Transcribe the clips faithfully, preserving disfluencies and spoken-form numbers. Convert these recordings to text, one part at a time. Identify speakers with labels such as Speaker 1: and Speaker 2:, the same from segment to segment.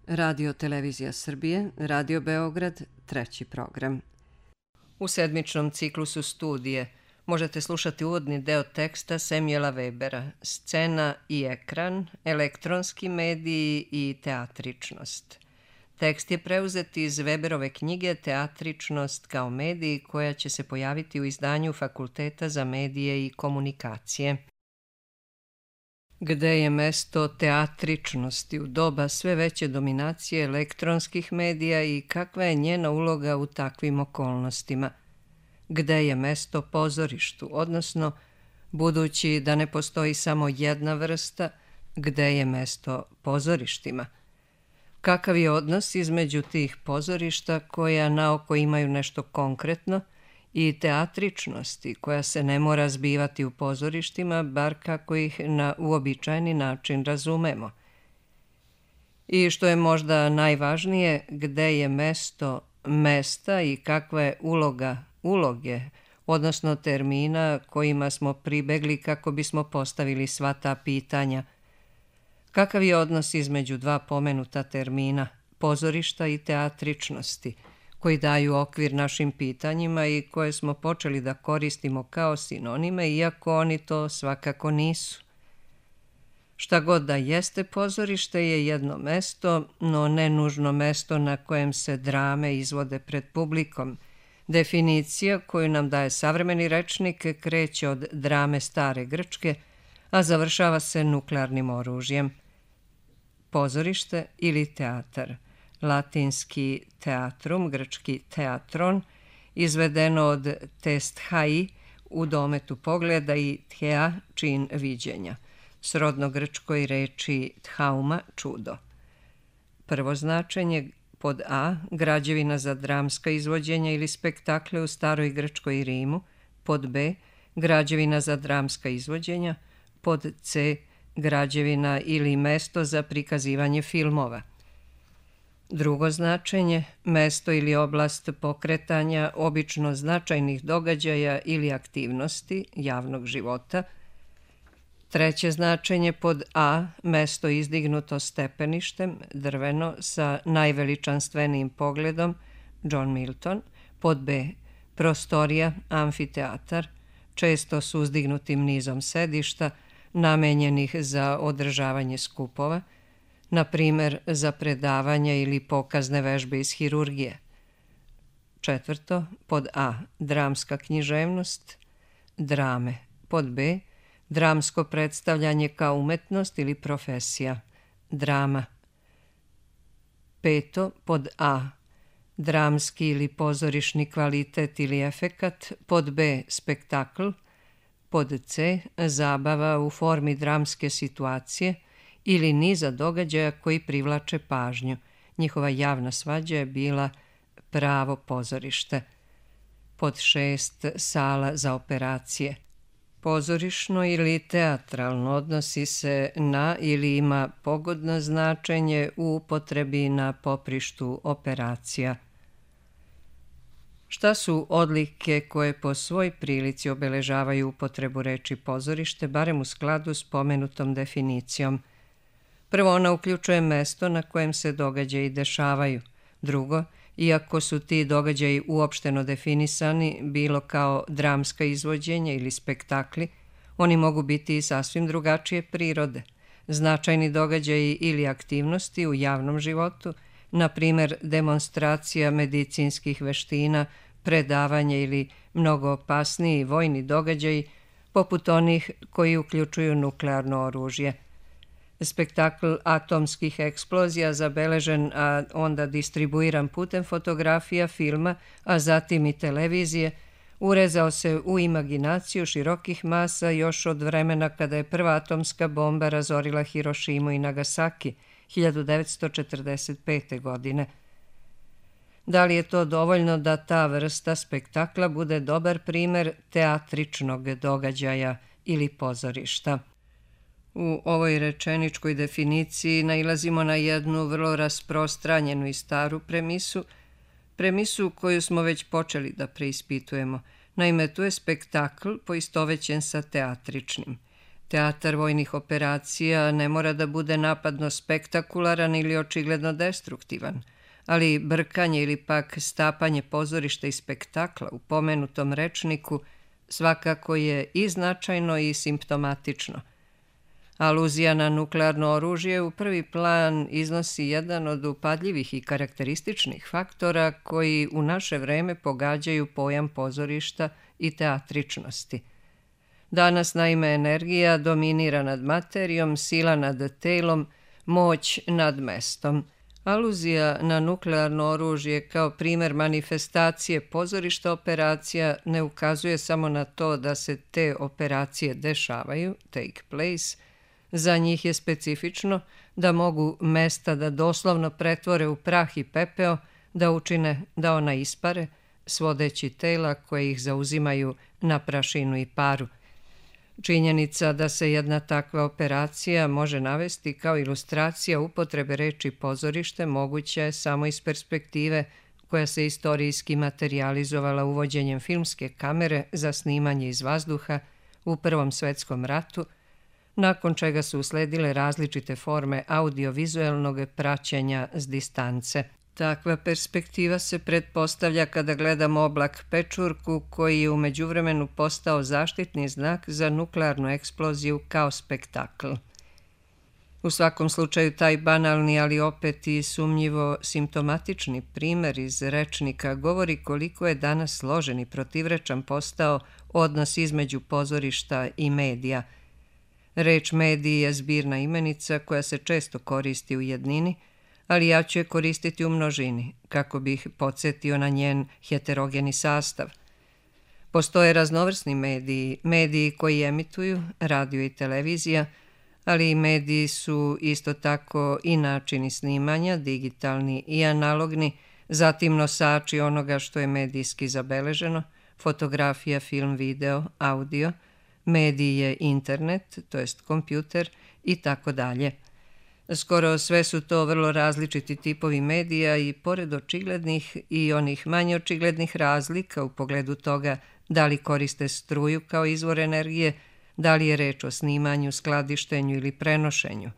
Speaker 1: Radio Televizija Srbije, Radio Beograd, treći program. U sedmičnom ciklusu studije možete slušati uvodni deo teksta Samuela Webera, Scena i ekran, elektronski mediji i teatričnost. Tekst je preuzet iz Weberove knjige Teatričnost kao mediji, koja će se pojaviti u izdanju Fakulteta za medije i komunikacije. Gde je mesto teatričnosti u doba sve veće dominacije elektronskih medija i kakva je njena uloga u takvim okolnostima? Gde je mesto pozorištu, odnosno, budući da ne postoji samo jedna vrsta, gde je mesto pozorištima? Kakav je odnos između tih pozorišta koja naoko imaju nešto konkretno i teatričnosti koja se ne mora zbivati u pozorištima, bar kako ih na uobičajeni način razumemo? I što je možda najvažnije, gde je mesto mesta i kakva je uloga uloge, odnosno termina kojima smo pribegli kako bismo postavili sva ta pitanja? Kakav je odnos između dva pomenuta termina, pozorišta i teatričnosti, koji daju okvir našim pitanjima i koje smo počeli da koristimo kao sinonime, iako oni to svakako nisu? Šta god da jeste, pozorište je jedno mesto, no ne nužno mesto na kojem se drame izvode pred publikom. Definicija koju nam daje savremeni rečnik kreće od drame stare Grčke, a završava se nuklearnim oružjem. Pozorište ili teatar, latinski teatrum, grčki teatron, izvedeno od testhai, u dometu pogleda, i thea, čin viđenja, srodno grčkoj reči thauma, čudo. Prvo značenje: pod A, građevina za dramska izvođenja ili spektakle u staroj Grčkoj i Rimu. Pod B, građevina za dramska izvođenja. Pod C, građevina ili mesto za prikazivanje filmova. Drugo značenje: mesto ili oblast pokretanja obično značajnih događaja ili aktivnosti javnog života. Treće značenje: pod A, mesto izdignuto stepeništem, drveno, sa najveličanstvenijim pogledom, John Milton. Pod B, prostorija, amfiteatar, često s uzdignutim nizom sedišta, namenjenih za održavanje skupova, na primer za predavanja ili pokazne vežbe iz hirurgije. Četvrto, pod A, dramska književnost, drame. Pod B, dramsko predstavljanje kao umetnost ili profesija, drama. Peto, pod A, dramski ili pozorišni kvalitet ili efekat. Pod B, spektakl. Pod C, zabava u formi dramske situacije ili niza događaja koji privlače pažnju. Njihova javna svađa je bila pravo pozorište. Pod šest, sala za operacije. Pozorišno ili teatralno odnosi se na ili ima pogodno značenje u upotrebi na poprištu operacija. Šta su odlike koje po svoj prilici obeležavaju upotrebu reči pozorište, barem u skladu s pomenutom definicijom? Prvo, ona uključuje mesto na kojem se događaji dešavaju. Drugo, iako su ti događaji uopšteno definisani, bilo kao dramska izvođenja ili spektakli, oni mogu biti i sasvim drugačije prirode. Značajni događaji ili aktivnosti u javnom životu, na primer demonstracija medicinskih veština, predavanje ili mnogo opasniji vojni događaji, poput onih koji uključuju nuklearno oružje. Spektakl atomskih eksplozija, zabeležen, a onda distribuiran putem fotografija, filma, a zatim i televizije, urezao se u imaginaciju širokih masa još od vremena kada je prva atomska bomba razorila Hirošimu i Nagasaki hiljadu devetsto četrdeset pete. godine. Da li je to dovoljno da ta vrsta spektakla bude dobar primer teatričnog događaja ili pozorišta? U ovoj rečeničkoj definiciji nailazimo na jednu vrlo rasprostranjenu i staru premisu, premisu koju smo već počeli da preispitujemo. Naime, tu je spektakl poistovećen sa teatričnim. Teatar vojnih operacija ne mora da bude napadno spektakularan ili očigledno destruktivan, ali brkanje ili pak stapanje pozorišta i spektakla u pomenutom rečniku svakako je i značajno i simptomatično. Aluzija na nuklearno oružje u prvi plan iznosi jedan od upadljivih i karakterističnih faktora koji u naše vreme pogađaju pojam pozorišta i teatričnosti. Danas, naime, energija dominira nad materijom, sila nad telom, moć nad mestom. Aluzija na nuklearno oružje kao primer manifestacije pozorišta operacija ne ukazuje samo na to da se te operacije dešavaju, take place. Za njih je specifično da mogu mesta da doslovno pretvore u prah i pepeo, da učine da ona ispare, svodeći tela koje ih zauzimaju na prašinu i paru. Činjenica da se jedna takva operacija može navesti kao ilustracija upotrebe reči pozorište moguća je samo iz perspektive koja se istorijski materijalizovala uvođenjem filmske kamere za snimanje iz vazduha u Prvom svetskom ratu, nakon čega su usledile različite forme audiovizualnog praćenja s distance. Takva perspektiva se pretpostavlja kada gledamo oblak pečurku koji je u međuvremenu postao zaštitni znak za nuklearnu eksploziju kao spektakl. U svakom slučaju taj banalni, ali opet i sumnjivo simptomatični primer iz rečnika govori koliko je danas složen i protivrečan postao odnos između pozorišta i medija. Reč mediji je zbirna imenica koja se često koristi u jednini, ali ja ću je koristiti u množini, kako bih podsjetio na njen heterogeni sastav. Postoje raznovrsni mediji, mediji koji emituju, radio i televizija, ali i mediji su isto tako i načini snimanja, digitalni i analogni, zatim nosači onoga što je medijski zabeleženo, fotografija, film, video, audio, mediji je internet, to jest kompjuter i tako dalje. Skoro sve su to vrlo različiti tipovi medija i pored očiglednih i onih manje očiglednih razlika u pogledu toga da li koriste struju kao izvor energije, da li je reč o snimanju, skladištenju ili prenošenju.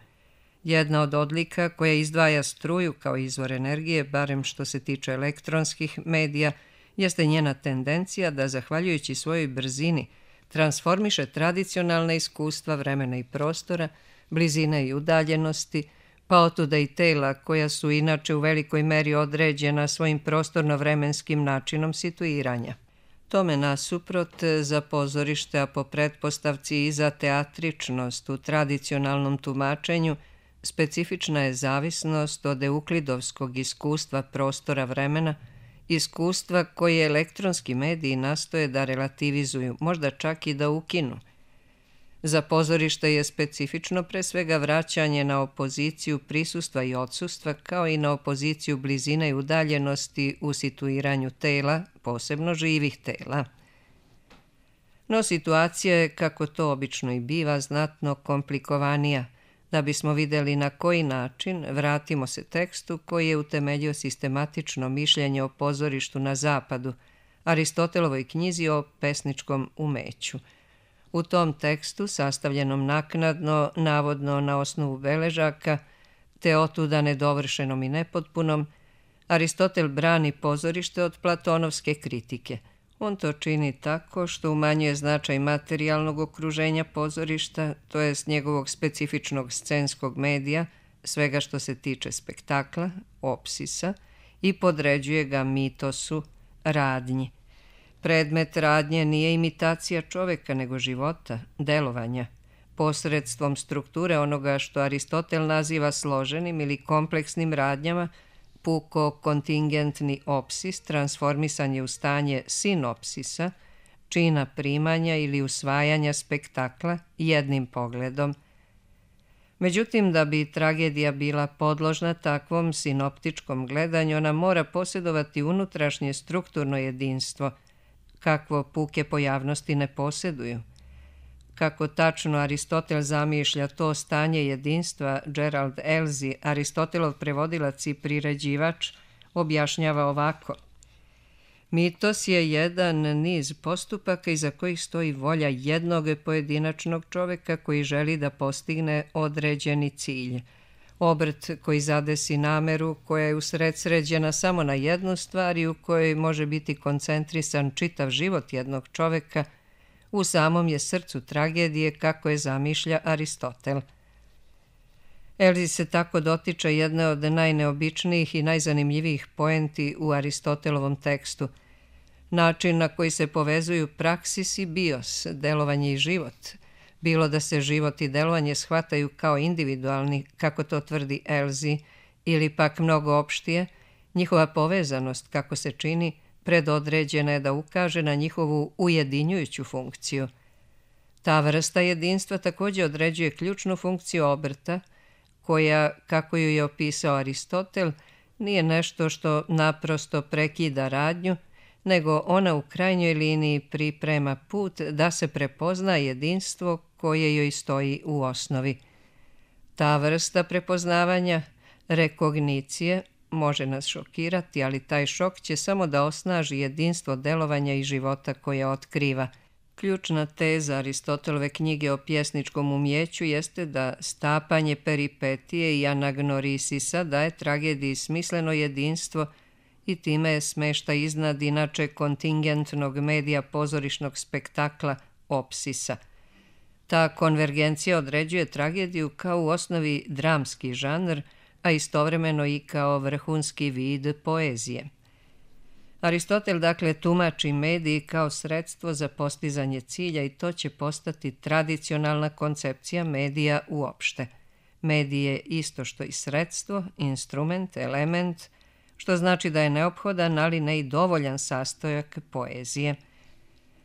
Speaker 1: Jedna od odlika koja izdvaja struju kao izvor energije, barem što se tiče elektronskih medija, jeste njena tendencija da, zahvaljujući svojoj brzini, transformiše tradicionalna iskustva vremena i prostora, blizine i udaljenosti, pa otuda i tela koja su inače u velikoj meri određena svojim prostorno-vremenskim načinom situiranja. Tome nasuprot za pozorište, a po pretpostavci i za teatričnost u tradicionalnom tumačenju, specifična je zavisnost od euklidovskog iskustva prostora vremena, iskustva koje elektronski mediji nastoje da relativizuju, možda čak i da ukinu. Za pozorište je specifično pre svega vraćanje na opoziciju prisustva i odsustva, kao i na opoziciju blizine i udaljenosti u situiranju tela, posebno živih tela. No situacija je, kako to obično i biva, znatno komplikovanija. Da bismo videli na koji način, vratimo se tekstu koji je utemeljio sistematično mišljenje o pozorištu na zapadu, Aristotelovoj knjizi o pesničkom umeću. U tom tekstu, sastavljenom naknadno, navodno na osnovu beležaka, te otuda nedovršenom i nepotpunom, Aristotel brani pozorište od platonovske kritike. On to čini tako što umanjuje značaj materijalnog okruženja pozorišta, to jest njegovog specifičnog scenskog medija, svega što se tiče spektakla, opsisa, i podređuje ga mitosu, radnji. Predmet radnje nije imitacija čoveka, nego života, delovanja, posredstvom strukture onoga što Aristotel naziva složenim ili kompleksnim radnjama. Puko kontingentni opsis transformisan je u stanje sinopsisa, čina primanja ili usvajanja spektakla jednim pogledom. Međutim, da bi tragedija bila podložna takvom sinoptičkom gledanju, ona mora posjedovati unutrašnje strukturno jedinstvo, kakvo puke pojavnosti ne posjeduju. Kako tačno Aristotel zamišlja to stanje jedinstva, Gerald Elzy, Aristotelov prevodilac i priređivač, objašnjava ovako. Mitos je jedan niz postupaka iza kojih stoji volja jednog pojedinačnog čoveka koji želi da postigne određeni cilj. Obrt koji zadesi nameru koja je usredsređena samo na jednu stvar i u kojoj može biti koncentrisan čitav život jednog čoveka, u samom je srcu tragedije kako je zamišlja Aristotel. Elzi se tako dotiče jedne od najneobičnijih i najzanimljivijih poenti u Aristotelovom tekstu. Način na koji se povezuju praksis i bios, delovanje i život, bilo da se život i delovanje shvataju kao individualni, kako to tvrdi Elzi, ili pak mnogo opštije, njihova povezanost, kako se čini, predodređena je da ukaže na njihovu ujedinjujuću funkciju. Ta vrsta jedinstva također određuje ključnu funkciju obrta, koja, kako ju je opisao Aristotel, nije nešto što naprosto prekida radnju, nego ona u krajnjoj liniji priprema put da se prepozna jedinstvo koje joj stoji u osnovi. Ta vrsta prepoznavanja, rekognicije, može nas šokirati, ali taj šok će samo da osnaži jedinstvo delovanja i života koje otkriva. Ključna teza Aristotelove knjige o pjesničkom umjeću jeste da stapanje peripetije i anagnorisisa daje tragediji smisleno jedinstvo i time je smešta iznad inače kontingentnog medija pozorišnog spektakla opsisa. Ta konvergencija određuje tragediju kao u osnovi dramski žanr, a istovremeno i kao vrhunski vid poezije. Aristotel dakle tumači mediji kao sredstvo za postizanje cilja i to će postati tradicionalna koncepcija medija uopšte. Medij je isto što i sredstvo, instrument, element, što znači da je neophodan, ali ne i dovoljan sastojak poezije.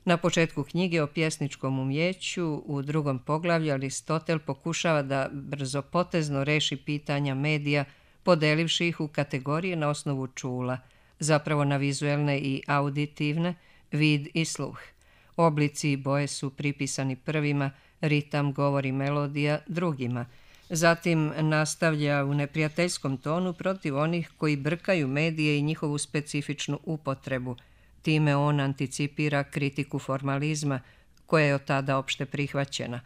Speaker 1: Na početku knjige o pjesničkom umjeću, u drugom poglavlju, Aristotel pokušava da brzopotezno reši pitanja medija, podelivši ih u kategorije na osnovu čula, zapravo na vizuelne i auditivne, vid i sluh. Oblici i boje su pripisani prvima, ritam, govor i melodija drugima. Zatim nastavlja u neprijateljskom tonu protiv onih koji brkaju medije i njihovu specifičnu upotrebu. Time on anticipira kritiku formalizma, koja je od tada opšte prihvaćena.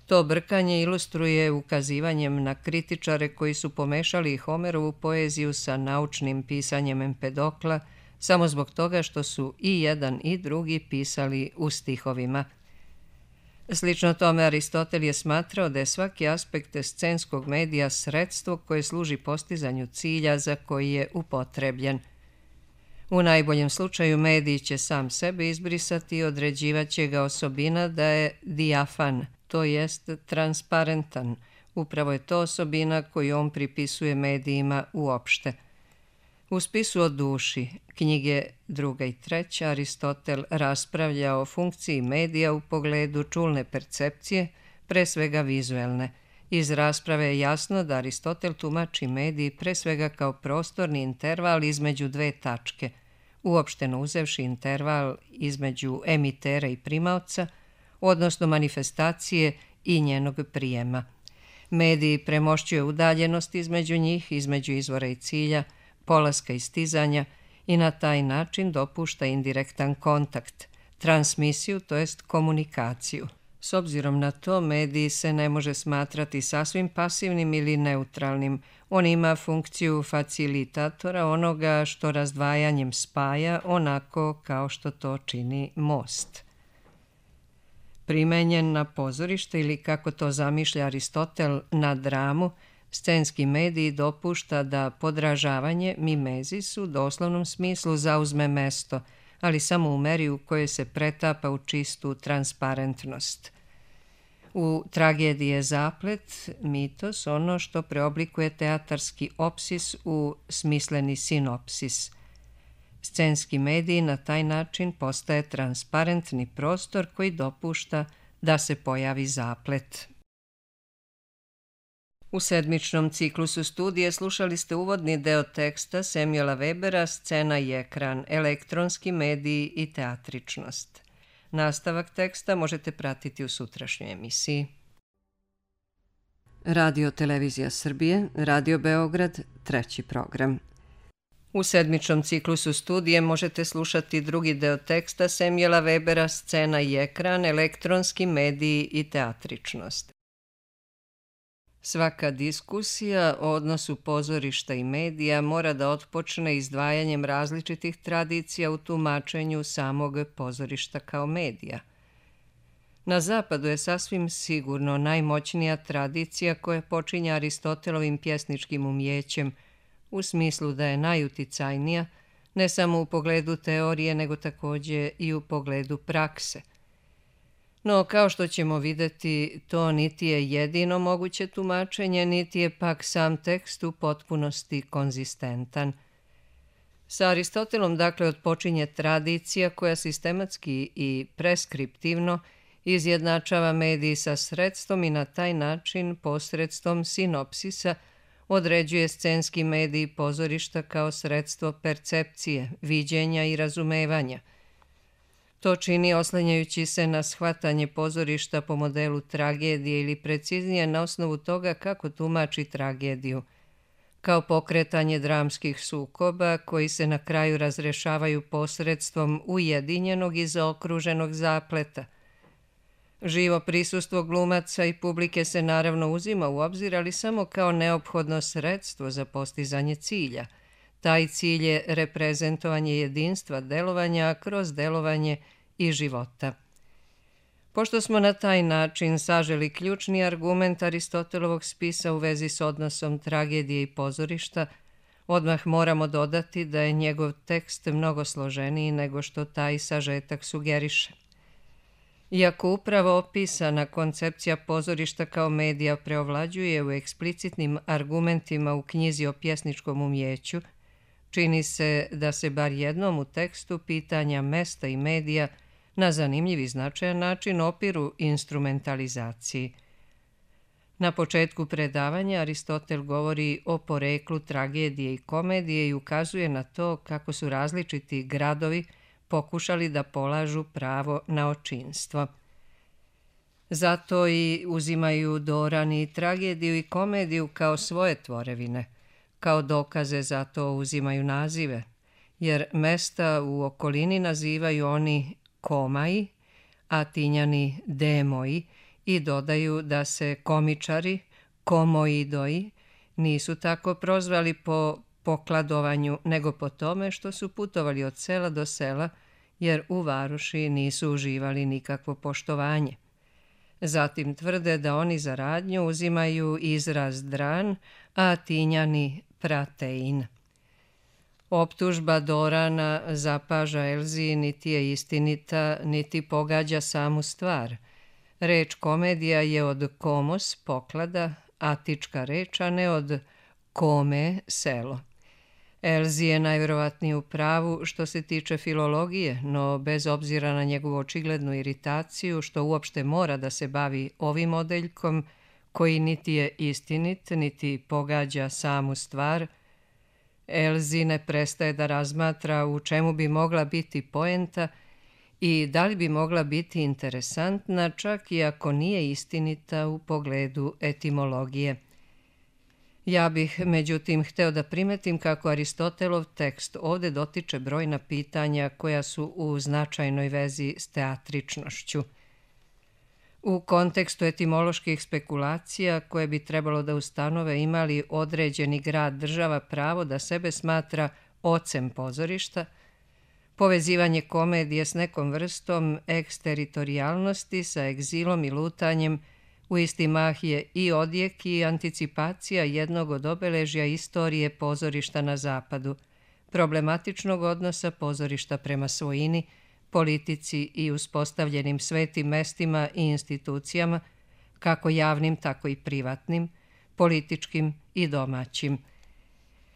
Speaker 1: To brkanje ilustruje ukazivanjem na kritičare koji su pomešali Homerovu poeziju sa naučnim pisanjem Empedokla, samo zbog toga što su i jedan i drugi pisali u stihovima. Slično tome, Aristotel je smatrao da je svaki aspekt scenskog medija sredstvo koje služi postizanju cilja za koji je upotrebljen. U najboljem slučaju medij će sam sebe izbrisati i određivat će ga osobina da je dijafan, to jest transparentan. Upravo je to osobina koju on pripisuje medijima uopšte. U spisu o duši, knjige druga i treća, Aristotel raspravlja o funkciji medija u pogledu čulne percepcije, pre svega vizuelne. Iz rasprave je jasno da Aristotel tumači medij pre svega kao prostorni interval između dve tačke, uopšteno uzevši interval između emitera i primaoca, odnosno manifestacije i njenog prijema. Medij premošćuje udaljenost između njih, između izvora i cilja, polaska i stizanja i na taj način dopušta indirektan kontakt, transmisiju, to jest komunikaciju. S obzirom na to, medij se ne može smatrati sasvim pasivnim ili neutralnim. On ima funkciju facilitatora, onoga što razdvajanjem spaja, onako kao što to čini most. Primenjen na pozorište ili, kako to zamišlja Aristotel, na dramu, scenski medij dopušta da podražavanje, mimezis, u doslovnom smislu zauzme mesto, ali samo u meri u kojoj se pretapa u čistu transparentnost. U tragediji je zaplet, mitos, ono što preoblikuje teatarski opsis u smisleni sinopsis. Scenski medij na taj način postaje transparentni prostor koji dopušta da se pojavi zaplet. U sedmičnom ciklusu studije slušali ste uvodni deo teksta Samuela Webera Scena i ekran, elektronski mediji i teatričnost. Nastavak teksta možete pratiti u sutrašnjoj emisiji. Radio Televizija Srbije, Radio Beograd, treći program. U sedmičnom ciklusu studije možete slušati drugi deo teksta Samuela Webera Scena i ekran, elektronski mediji i teatričnost. Svaka diskusija o odnosu pozorišta i medija mora da otpočne izdvajanjem različitih tradicija u tumačenju samog pozorišta kao medija. Na zapadu je sasvim sigurno najmoćnija tradicija koja počinje Aristotelovim pjesničkim umjećem, u smislu da je najuticajnija, ne samo u pogledu teorije, nego također i u pogledu prakse. No, kao što ćemo vidjeti, to niti je jedino moguće tumačenje, niti je pak sam tekst u potpunosti konzistentan. Sa Aristotelom, dakle, otpočinje tradicija koja sistematski i preskriptivno izjednačava medij sa sredstvom i na taj način posredstvom sinopsisa određuje scenski medij pozorišta kao sredstvo percepcije, viđenja i razumevanja. To čini oslanjajući se na shvatanje pozorišta po modelu tragedije ili preciznije na osnovu toga kako tumači tragediju, kao pokretanje dramskih sukoba koji se na kraju razrešavaju posredstvom ujedinjenog i zaokruženog zapleta. Živo prisustvo glumaca i publike se naravno uzima u obzir, ali samo kao neophodno sredstvo za postizanje cilja. Taj cilj je reprezentovanje jedinstva delovanja kroz delovanje i života. Pošto smo na taj način saželi ključni argument Aristotelovog spisa u vezi s odnosom tragedije i pozorišta, odmah moramo dodati da je njegov tekst mnogo složeniji nego što taj sažetak sugeriše. Iako upravo opisana koncepcija pozorišta kao medija preovlađuje u eksplicitnim argumentima u knjizi o pjesničkom umjeću, čini se da se bar jednom u tekstu pitanja mesta i medija na zanimljiv i značajan način opiru instrumentalizaciji. Na početku predavanja Aristotel govori o poreklu tragedije i komedije i ukazuje na to kako su različiti gradovi pokušali da polažu pravo na očinstvo. Zato i uzimaju Doran i tragediju i komediju kao svoje tvorevine. Kao dokaze za to uzimaju nazive, jer mesta u okolini nazivaju oni komai, a Atinjani demoi, i dodaju da se komičari, komoidoi, nisu tako prozvali po pokladovanju, nego po tome što su putovali od sela do sela, jer u varoši nisu uživali nikakvo poštovanje. Zatim tvrde da oni za radnju uzimaju izraz dran, a Atinjani pratein. Optužba Dorana zapaža Elziji niti je istinita, niti pogađa samu stvar. Reč komedija je od komos, poklada, atička reč, a ne od kome, selo. Elzi je najvjerovatnije u pravu što se tiče filologije, no bez obzira na njegovu očiglednu iritaciju, što uopšte mora da se bavi ovim odeljkom, koji niti je istinit, niti pogađa samu stvar, Elzi ne prestaje da razmatra u čemu bi mogla biti poenta i da li bi mogla biti interesantna, čak i ako nije istinita u pogledu etimologije. Ja bih, međutim, hteo da primetim kako Aristotelov tekst ovde dotiče brojna pitanja koja su u značajnoj vezi s teatričnošću. U kontekstu etimoloških spekulacija koje bi trebalo da ustanove imali određeni grad država pravo da sebe smatra ocem pozorišta, povezivanje komedije s nekom vrstom eksteritorijalnosti sa egzilom i lutanjem u isti mah je i odjek i anticipacija jednog od obeležja istorije pozorišta na zapadu, problematičnog odnosa pozorišta prema svojini, politici i uspostavljenim svetim mestima i institucijama, kako javnim, tako i privatnim, političkim i domaćim.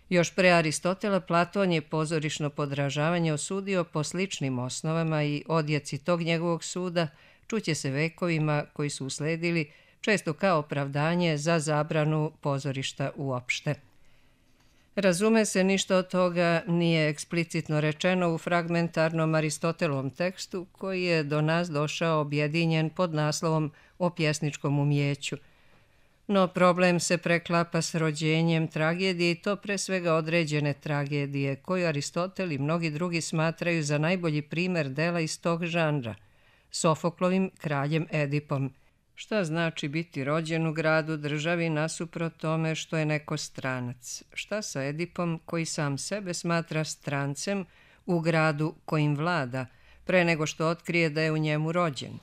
Speaker 1: Još pre Aristotela, Platon je pozorišno podražavanje osudio po sličnim osnovama i odjeci tog njegovog suda čuće se vekovima koji su usledili, često kao opravdanje za zabranu pozorišta uopšte. Razume se, ništa od toga nije eksplicitno rečeno u fragmentarnom Aristotelovom tekstu koji je do nas došao objedinjen pod naslovom o pjesničkom umjeću. No problem se preklapa s rođenjem tragedije i to pre svega određene tragedije, koju Aristotel i mnogi drugi smatraju za najbolji primer dela iz tog žanra, Sofoklovim kraljem Edipom. Šta znači biti rođen u gradu, državi, nasuprot tome što je neko stranac? Šta sa Edipom koji sam sebe smatra strancem u gradu kojim vlada, pre nego što otkrije da je u njemu rođen?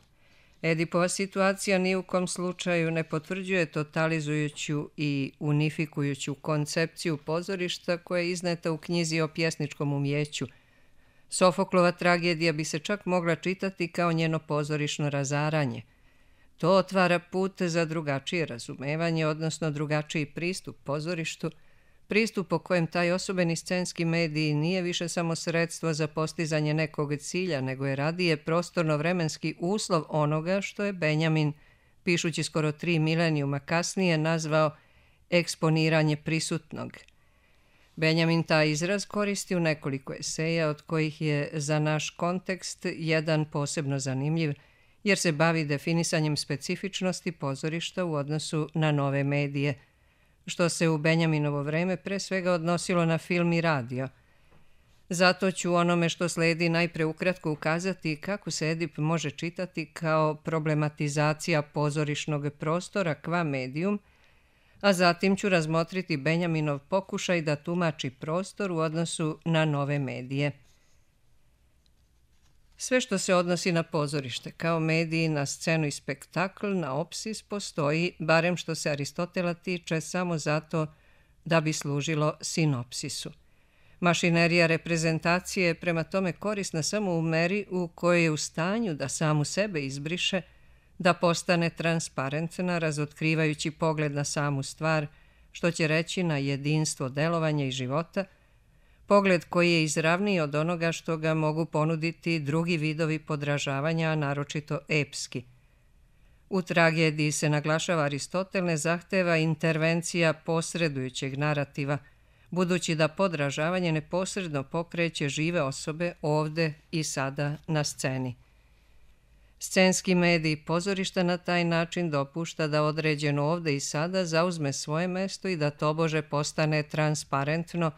Speaker 1: Edipova situacija ni u kom slučaju ne potvrđuje totalizujuću i unifikujuću koncepciju pozorišta koja je izneta u knjizi o pjesničkom umjeću. Sofoklova tragedija bi se čak mogla čitati kao njeno pozorišno razaranje. To otvara put za drugačije razumevanje, odnosno drugačiji pristup pozorištu, pristup po kojem taj osobeni scenski medij nije više samo sredstvo za postizanje nekog cilja, nego je radije prostorno-vremenski uslov onoga što je Benjamin, pišući skoro tri milenijuma kasnije, nazvao eksponiranje prisutnog. Benjamin taj izraz koristi u nekoliko eseja, od kojih je za naš kontekst jedan posebno zanimljiv, jer se bavi definisanjem specifičnosti pozorišta u odnosu na nove medije, što se u Benjaminovo vreme pre svega odnosilo na film i radio. Zato ću onome što sledi najpre ukratko ukazati kako se Edip može čitati kao problematizacija pozorišnog prostora qua medium, a zatim ću razmotriti Benjaminov pokušaj da tumači prostor u odnosu na nove medije. Sve što se odnosi na pozorište, kao mediji, na scenu i spektakl, na opsis, postoji, barem što se Aristotela tiče, samo zato da bi služilo sinopsisu. Mašinerija reprezentacije je prema tome korisna samo u meri u kojoj je u stanju da samu sebe izbriše, da postane transparentna, razotkrivajući pogled na samu stvar, što će reći na jedinstvo delovanja i života, pogled koji je izravniji od onoga što ga mogu ponuditi drugi vidovi podražavanja, a naročito epski. U tragediji se naglašava Aristotel ne zahteva intervencija posredujućeg narativa, budući da podražavanje neposredno pokreće žive osobe ovde i sada na sceni. Scenski medij pozorišta na taj način dopušta da određeno ovde i sada zauzme svoje mesto i da tobože postane transparentno,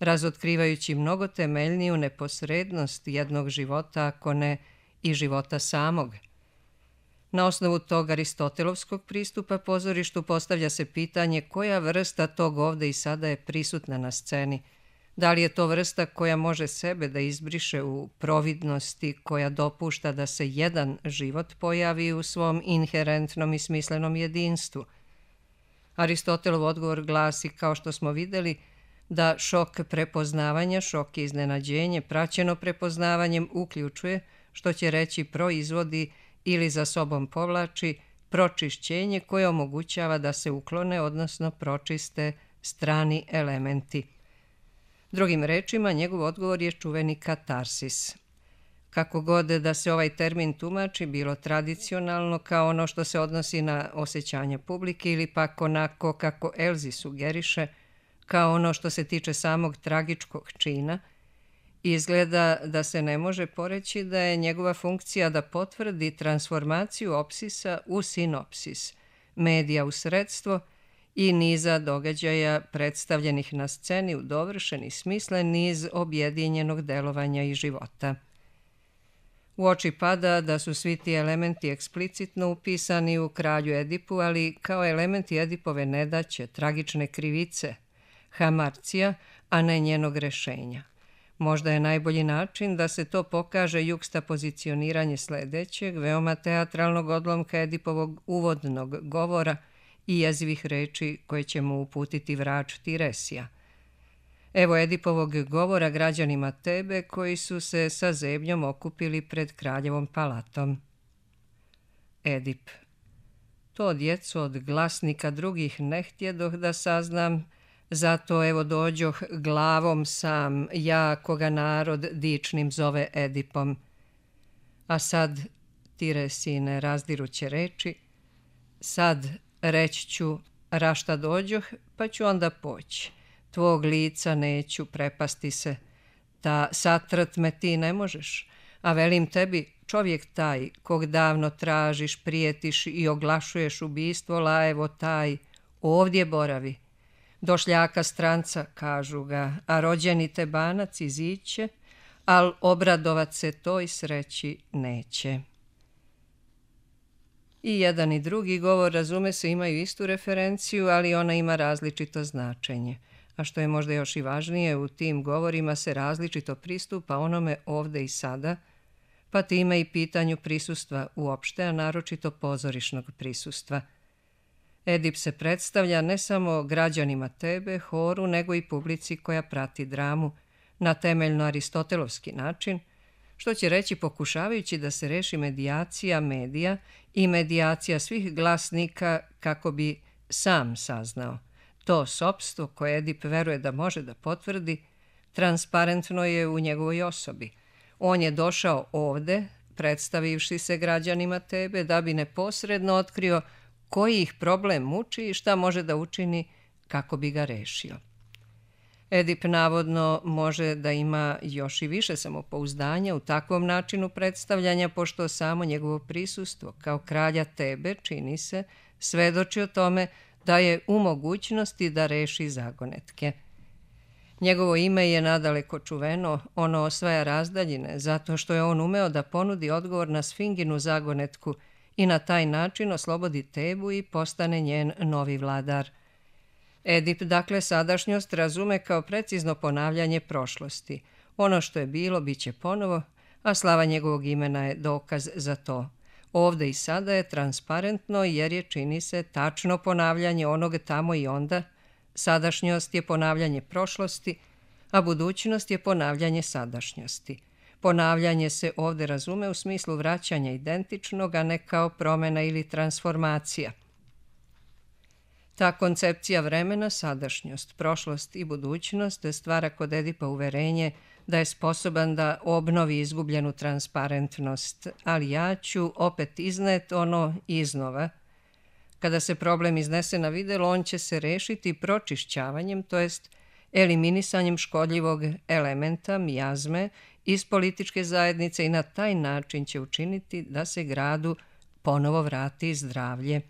Speaker 1: razotkrivajući mnogo temeljniju neposrednost jednog života, ako ne i života samog. Na osnovu tog aristotelovskog pristupa pozorištu postavlja se pitanje koja vrsta tog ovde i sada je prisutna na sceni. Da li je to vrsta koja može sebe da izbriše u providnosti, koja dopušta da se jedan život pojavi u svom inherentnom i smislenom jedinstvu? Aristotelov odgovor glasi, kao što smo videli, da šok prepoznavanja, šok i iznenađenje, praćeno prepoznavanjem, uključuje, što će reći proizvodi ili za sobom povlači, pročišćenje koje omogućava da se uklone, odnosno pročiste strani elementi. Drugim rečima, njegov odgovor je čuveni katarsis. Kako god da se ovaj termin tumači, bilo tradicionalno kao ono što se odnosi na osjećanja publike ili pak onako kako Elzi sugeriše, kao ono što se tiče samog tragičkog čina, izgleda da se ne može poreći da je njegova funkcija da potvrdi transformaciju opsisa u sinopsis, medija u sredstvo i niza događaja predstavljenih na sceni u dovršeni smislen niz objedinjenog delovanja i života. U oči pada da su svi ti elementi eksplicitno upisani u kralju Edipu, ali kao elementi Edipove nedaće, tragične krivice, hamarcija, a ne njenog rešenja. Možda je najbolji način da se to pokaže jukstapozicioniranje sledećeg, veoma teatralnog odlomka Edipovog uvodnog govora i jezivih reči koje će mu uputiti vrač Tiresija. Evo Edipovog govora građanima Tebe koji su se sa zebnjom okupili pred kraljevom palatom. Edip. To djeco od glasnika drugih ne htjedoh da saznam, zato evo dođoh glavom sam, ja koga narod dičnim zove Edipom. A sad, Tiresine razdiruće reči, sad reći ću rašta dođoh, pa ću onda poći. Tvog lica neću prepasti se, ta satrt me ti ne možeš, a velim tebi, čovjek taj, kog davno tražiš, prijetiš i oglašuješ ubistvo, la evo taj, ovdje boravi. Došljaka stranca, kažu ga, a rođeni Tebanac iziće, al obradovat se toj sreći neće. I jedan i drugi govor, razume se, imaju istu referenciju, ali ona ima različito značenje. A što je možda još i važnije, u tim govorima se različito pristupa onome ovde i sada, pa time i pitanju prisustva uopšte, a naročito pozorišnog prisustva. Edip se predstavlja ne samo građanima Tebe, horu, nego i publici koja prati dramu na temeljno aristotelovski način, što će reći pokušavajući da se reši medijacija medija i medijacija svih glasnika kako bi sam saznao. To sopstvo koje Edip veruje da može da potvrdi, transparentno je u njegovoj osobi. On je došao ovde, predstavivši se građanima Tebe, da bi neposredno otkrio koji ih problem muči i šta može da učini kako bi ga rešio. Edip navodno može da ima još i više samopouzdanja u takvom načinu predstavljanja, pošto samo njegovo prisustvo kao kralja Tebe, čini se, svedoči o tome da je u mogućnosti da reši zagonetke. Njegovo ime je nadaleko čuveno, ono osvaja razdaljine, zato što je on umeo da ponudi odgovor na Sfinginu zagonetku i na taj način oslobodi Tebu i postane njen novi vladar. Edip, dakle, sadašnjost razume kao precizno ponavljanje prošlosti. Ono što je bilo, bit će ponovo, a slava njegovog imena je dokaz za to. Ovde i sada je transparentno jer je, čini se, tačno ponavljanje onog tamo i onda. Sadašnjost je ponavljanje prošlosti, a budućnost je ponavljanje sadašnjosti. Ponavljanje se ovde razume u smislu vraćanja identičnog, a ne kao promjena ili transformacija. Ta koncepcija vremena, sadašnjost, prošlost i budućnost stvara kod Edipa uverenje da je sposoban da obnovi izgubljenu transparentnost, ali ja ću opet iznet ono iznova. Kada se problem iznese na videlo, on će se rešiti pročišćavanjem, to jest eliminisanjem škodljivog elementa, mijazme, iz političke zajednice i na taj način će učiniti da se gradu ponovo vrati zdravlje.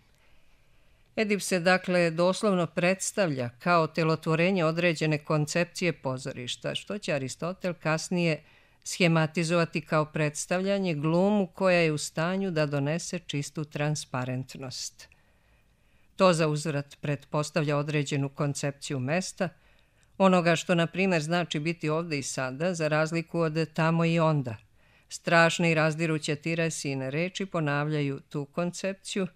Speaker 1: Edip se dakle doslovno predstavlja kao telotvorenje određene koncepcije pozorišta, što će Aristotel kasnije schematizovati kao predstavljanje glumu koja je u stanju da donese čistu transparentnost. To za uzvrat pretpostavlja određenu koncepciju mesta, onoga što, na primjer, znači biti ovde i sada, za razliku od tamo i onda. Strašne i razdiruće Tiresine reči ponavljaju tu koncepciju,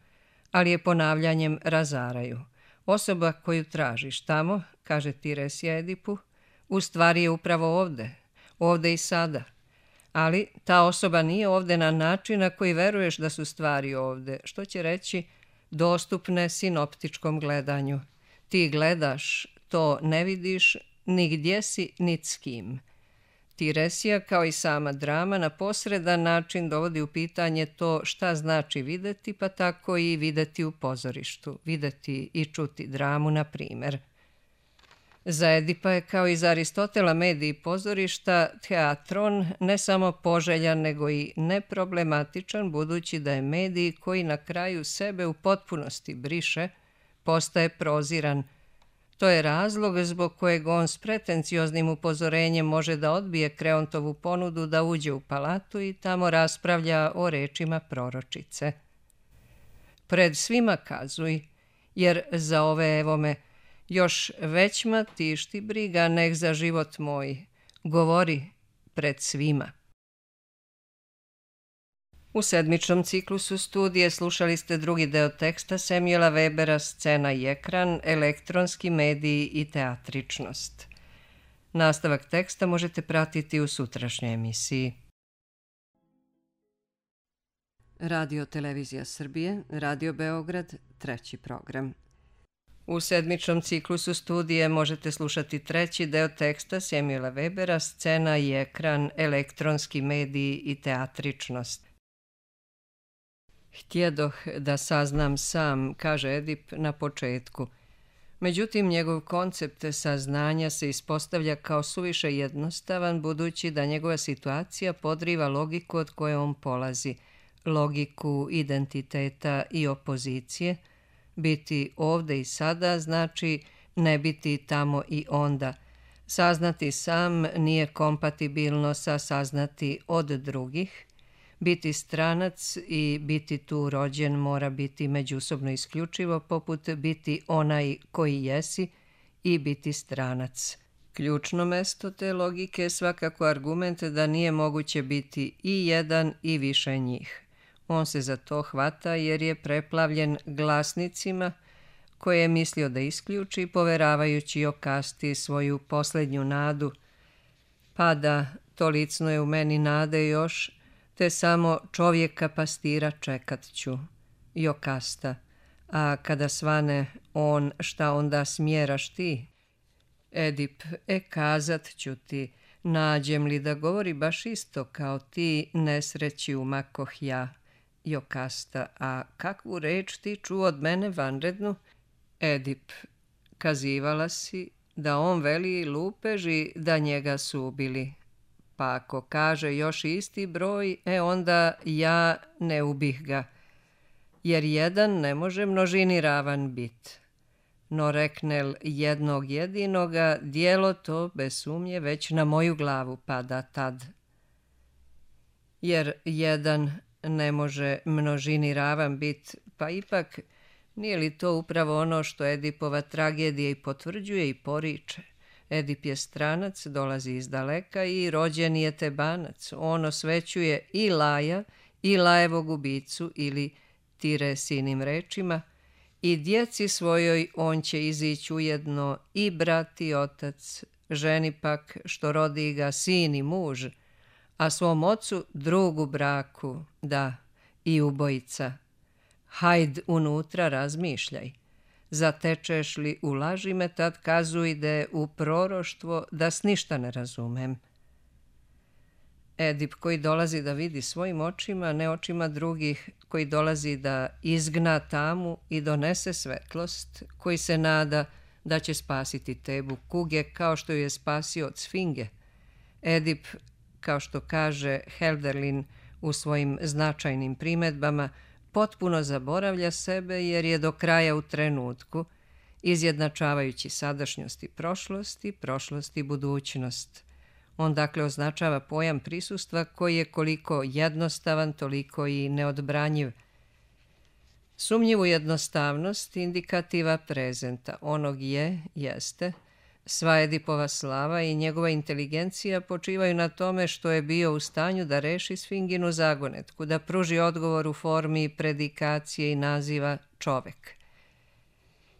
Speaker 1: ali je ponavljanjem razaraju. Osoba koju tražiš tamo, kaže Tiresija Edipu, u stvari je upravo ovde, ovde i sada. Ali ta osoba nije ovde na način na koji veruješ da su stvari ovde, što će reći dostupne sinoptičkom gledanju. Ti gledaš, to ne vidiš ni gdje si, ni s kim. Tiresija, kao i sama drama, na posredan način dovodi u pitanje to šta znači videti, pa tako i videti u pozorištu, videti i čuti dramu, na primjer. Za Edipa je, kao i za Aristotela, medij pozorišta, teatron, ne samo poželjan, nego i neproblematičan, budući da je medij koji na kraju sebe u potpunosti briše, postaje proziran. To je razlog zbog kojeg on s pretencioznim upozorenjem može da odbije Kreontovu ponudu da uđe u palatu i tamo raspravlja o rečima proročice. Pred svima kazuj, jer za ove evome još većma tišti briga nek za život moj. Govori pred svima. U sedmičnom ciklusu studije slušali ste drugi deo teksta Samuela Webera Scena i ekran, elektronski mediji i teatričnost. Nastavak teksta možete pratiti u sutrašnjoj emisiji. Radio Televizija Srbije, Radio Beograd, treći program. U sedmičnom ciklusu studije možete slušati treći deo teksta Samuela Webera Scena i ekran, elektronski mediji i teatričnost. Htjedoh da saznam sam, kaže Edip na početku. Međutim, njegov koncept saznanja se ispostavlja kao suviše jednostavan, budući da njegova situacija podriva logiku od koje on polazi, logiku identiteta i opozicije, Biti ovde i sada znači ne biti tamo i onda. Saznati sam nije kompatibilno sa saznati od drugih. Biti stranac i biti tu rođen mora biti međusobno isključivo, poput biti onaj koji jesi i biti stranac. Ključno mesto te logike je svakako argument da nije moguće biti i jedan i više njih. On se za to hvata jer je preplavljen glasnicima koje je mislio da isključi, poveravajući okasti svoju posljednju nadu. Pa da, tolicno je u meni nade još, te samo čovjeka pastira čekat ću. Jokasta, a kada svane on, šta onda smjeraš ti? Edip, e kazat ću ti, nađem li da govori baš isto kao ti, nesreći umakoh ja. Jokasta, a kakvu reč ti čuo od mene vanrednu? Edip, kazivala si da on veli lupeži da njega su ubili. Pa ako kaže još isti broj, e onda ja ne ubih ga, jer jedan ne može množini ravan bit. No reknel jednog jedinoga, dijelo to bez sumnje već na moju glavu pada tad. Jer jedan ne može množini ravan bit, pa ipak nije li to upravo ono što Edipova tragedija i potvrđuje i poriče? Edip je stranac, dolazi iz daleka i rođen je Tebanac. On osvećuje i Laja i Lajevog ubicu ili Tiresinim rečima i djeci svojoj on će izići ujedno i brat i otac, ženi pak što rodi ga sin i muž, a svom ocu drugu braku, da, i ubojica. Hajd unutra razmišljaj. Zatečeš li u laži me, tad kazuj da u proroštvo da s ništa ne razumem. Edip koji dolazi da vidi svojim očima, ne očima drugih, koji dolazi da izgna tamu i donese svetlost, koji se nada da će spasiti Tebu kuge kao što ju je spasio od Sfinge. Edip, kao što kaže Helderlin u svojim značajnim primedbama, potpuno zaboravlja sebe jer je do kraja u trenutku, izjednačavajući sadašnjost i prošlost i prošlost i budućnost. On dakle označava pojam prisustva koji je koliko jednostavan, toliko i neodbranjiv. Sumnjivu jednostavnost indikativa prezenta, onog je, jeste, sva Edipova slava i njegova inteligencija počivaju na tome što je bio u stanju da reši Sfinginu zagonetku, da pruži odgovor u formi predikacije i naziva čovek.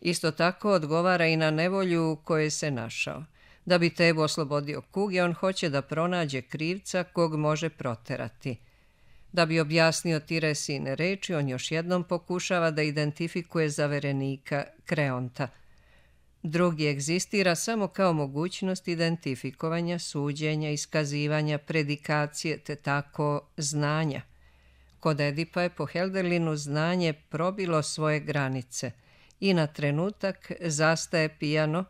Speaker 1: Isto tako odgovara i na nevolju u kojoj se našao. Da bi Tebu oslobodio kuge, on hoće da pronađe krivca kog može proterati. Da bi objasnio Tiresine reči, on još jednom pokušava da identifikuje zaverenika Kreonta. Drugi egzistira samo kao mogućnost identifikovanja, suđenja, iskazivanja, predikacije, te tako znanja. Kod Edipa je po Helderlinu znanje probilo svoje granice i na trenutak zastaje pijano,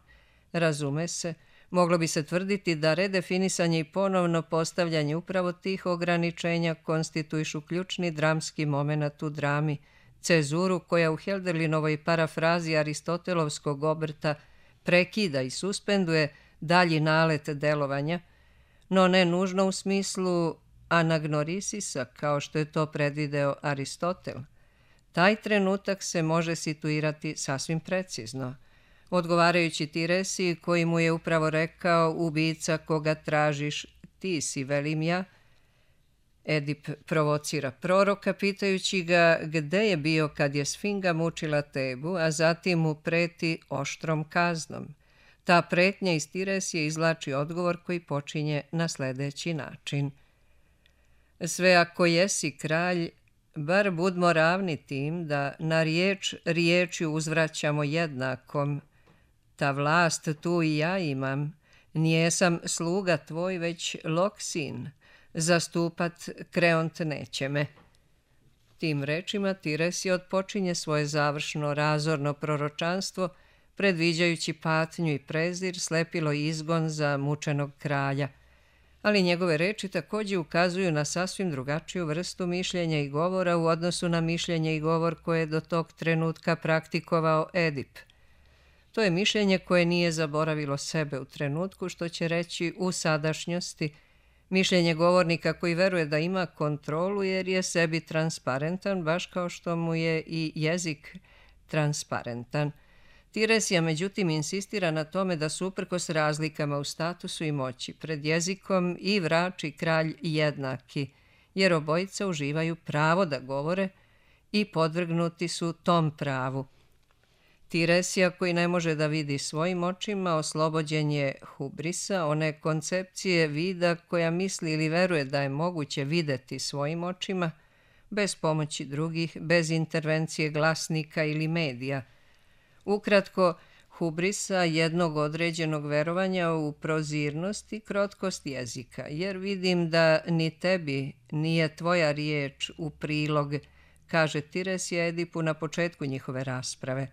Speaker 1: razume se, moglo bi se tvrditi da redefinisanje i ponovno postavljanje upravo tih ograničenja konstituišu ključni dramski moment u drami, cezuru koja u Helderlinovoj parafrazi aristotelovskog obrta prekida i suspenduje dalji nalet delovanja, no ne nužno u smislu anagnorisisa kao što je to predvideo Aristotel. Taj trenutak se može situirati sasvim precizno, odgovarajući Tiresiji koji mu je upravo rekao ubica koga tražiš, ti si, velim ja. Edip provocira proroka pitajući ga gde je bio kad je Sfinga mučila Tebu, a zatim mu preti oštrom kaznom. Ta pretnja iz Tiresije izvlači odgovor koji počinje na sljedeći način. Sve ako jesi kralj, bar budmo ravni tim da na riječ riječju uzvraćamo jednakom. Ta vlast tu i ja imam, nijesam sluga tvoj, već Loksin, zastupat Kreont neće me. Tim rečima Tiresija odpočinje svoje završno razorno proročanstvo, predviđajući patnju i prezir, slepilo izgon za mučenog kralja. ali njegove reči također ukazuju na sasvim drugačiju vrstu mišljenja i govora u odnosu na mišljenje i govor koje je do tog trenutka praktikovao Edip. To je mišljenje koje nije zaboravilo sebe u trenutku, što će reći u sadašnjosti, mišljenje govornika koji veruje da ima kontrolu jer je sebi transparentan, baš kao što mu je i jezik transparentan. Tiresija međutim insistira na tome da su uprkos razlikama u statusu i moći pred jezikom i vrač i kralj jednaki, jer obojica uživaju pravo da govore i podvrgnuti su tom pravu. Tiresija koji ne može da vidi svojim očima oslobođen je hubrisa, one koncepcije vida koja misli ili veruje da je moguće videti svojim očima, bez pomoći drugih, bez intervencije glasnika ili medija. Ukratko, hubrisa jednog određenog verovanja u prozirnost i krotkost jezika, jer vidim da ni tebi nije tvoja riječ u prilog, kaže Tiresija Edipu na početku njihove rasprave.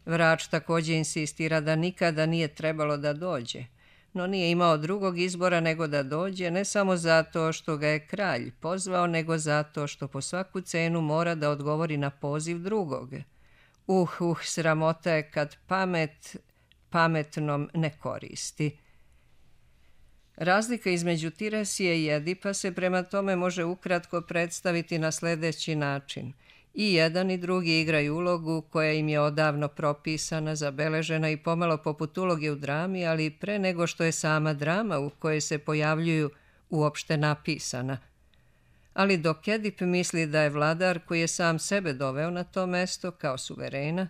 Speaker 1: Vrač također insistira da nikada nije trebalo da dođe, no nije imao drugog izbora nego da dođe, ne samo zato što ga je kralj pozvao, nego zato što po svaku cenu mora da odgovori na poziv drugog. Uh, uh, sramota je kad pamet pametnom ne koristi. Razlika između Tiresije i Edipa se prema tome može ukratko predstaviti na sljedeći način. I jedan i drugi igraju ulogu koja im je odavno propisana, zabeležena i pomalo poput uloge u drami, ali pre nego što je sama drama u kojoj se pojavljuju uopšte napisana. Ali dok Edip misli da je vladar koji je sam sebe doveo na to mesto kao suverena,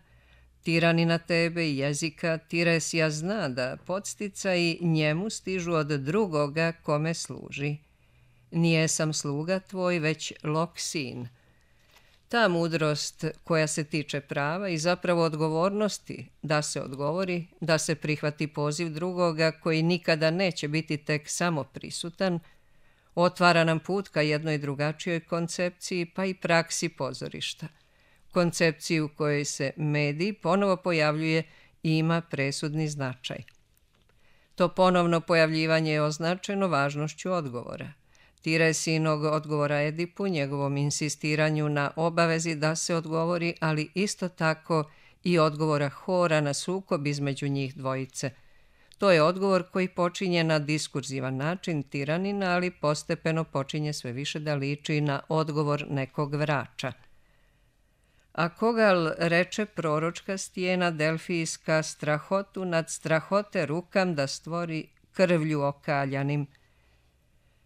Speaker 1: tiranina tebe i jezika, Tiresija zna da podsticaji njemu stižu od drugoga kome služi. Nije sam sluga tvoj, već lok sin. Ta mudrost koja se tiče prava i zapravo odgovornosti da se odgovori, da se prihvati poziv drugoga koji nikada neće biti tek samo prisutan, otvara nam put ka jednoj drugačijoj koncepciji pa i praksi pozorišta. Koncepciji u kojoj se medij ponovo pojavljuje i ima presudni značaj. To ponovno pojavljivanje je označeno važnošću odgovora. Tiresijinog odgovora Edipu, njegovom insistiranju na obavezi da se odgovori, ali isto tako i odgovora Hora na sukob između njih dvojice. To je odgovor koji počinje na diskurzivan način tiranina, ali postepeno počinje sve više da liči na odgovor nekog vrača. A kogal reče proročka stijena delfijska strahotu nad strahote rukam da stvori krvlju okaljanim.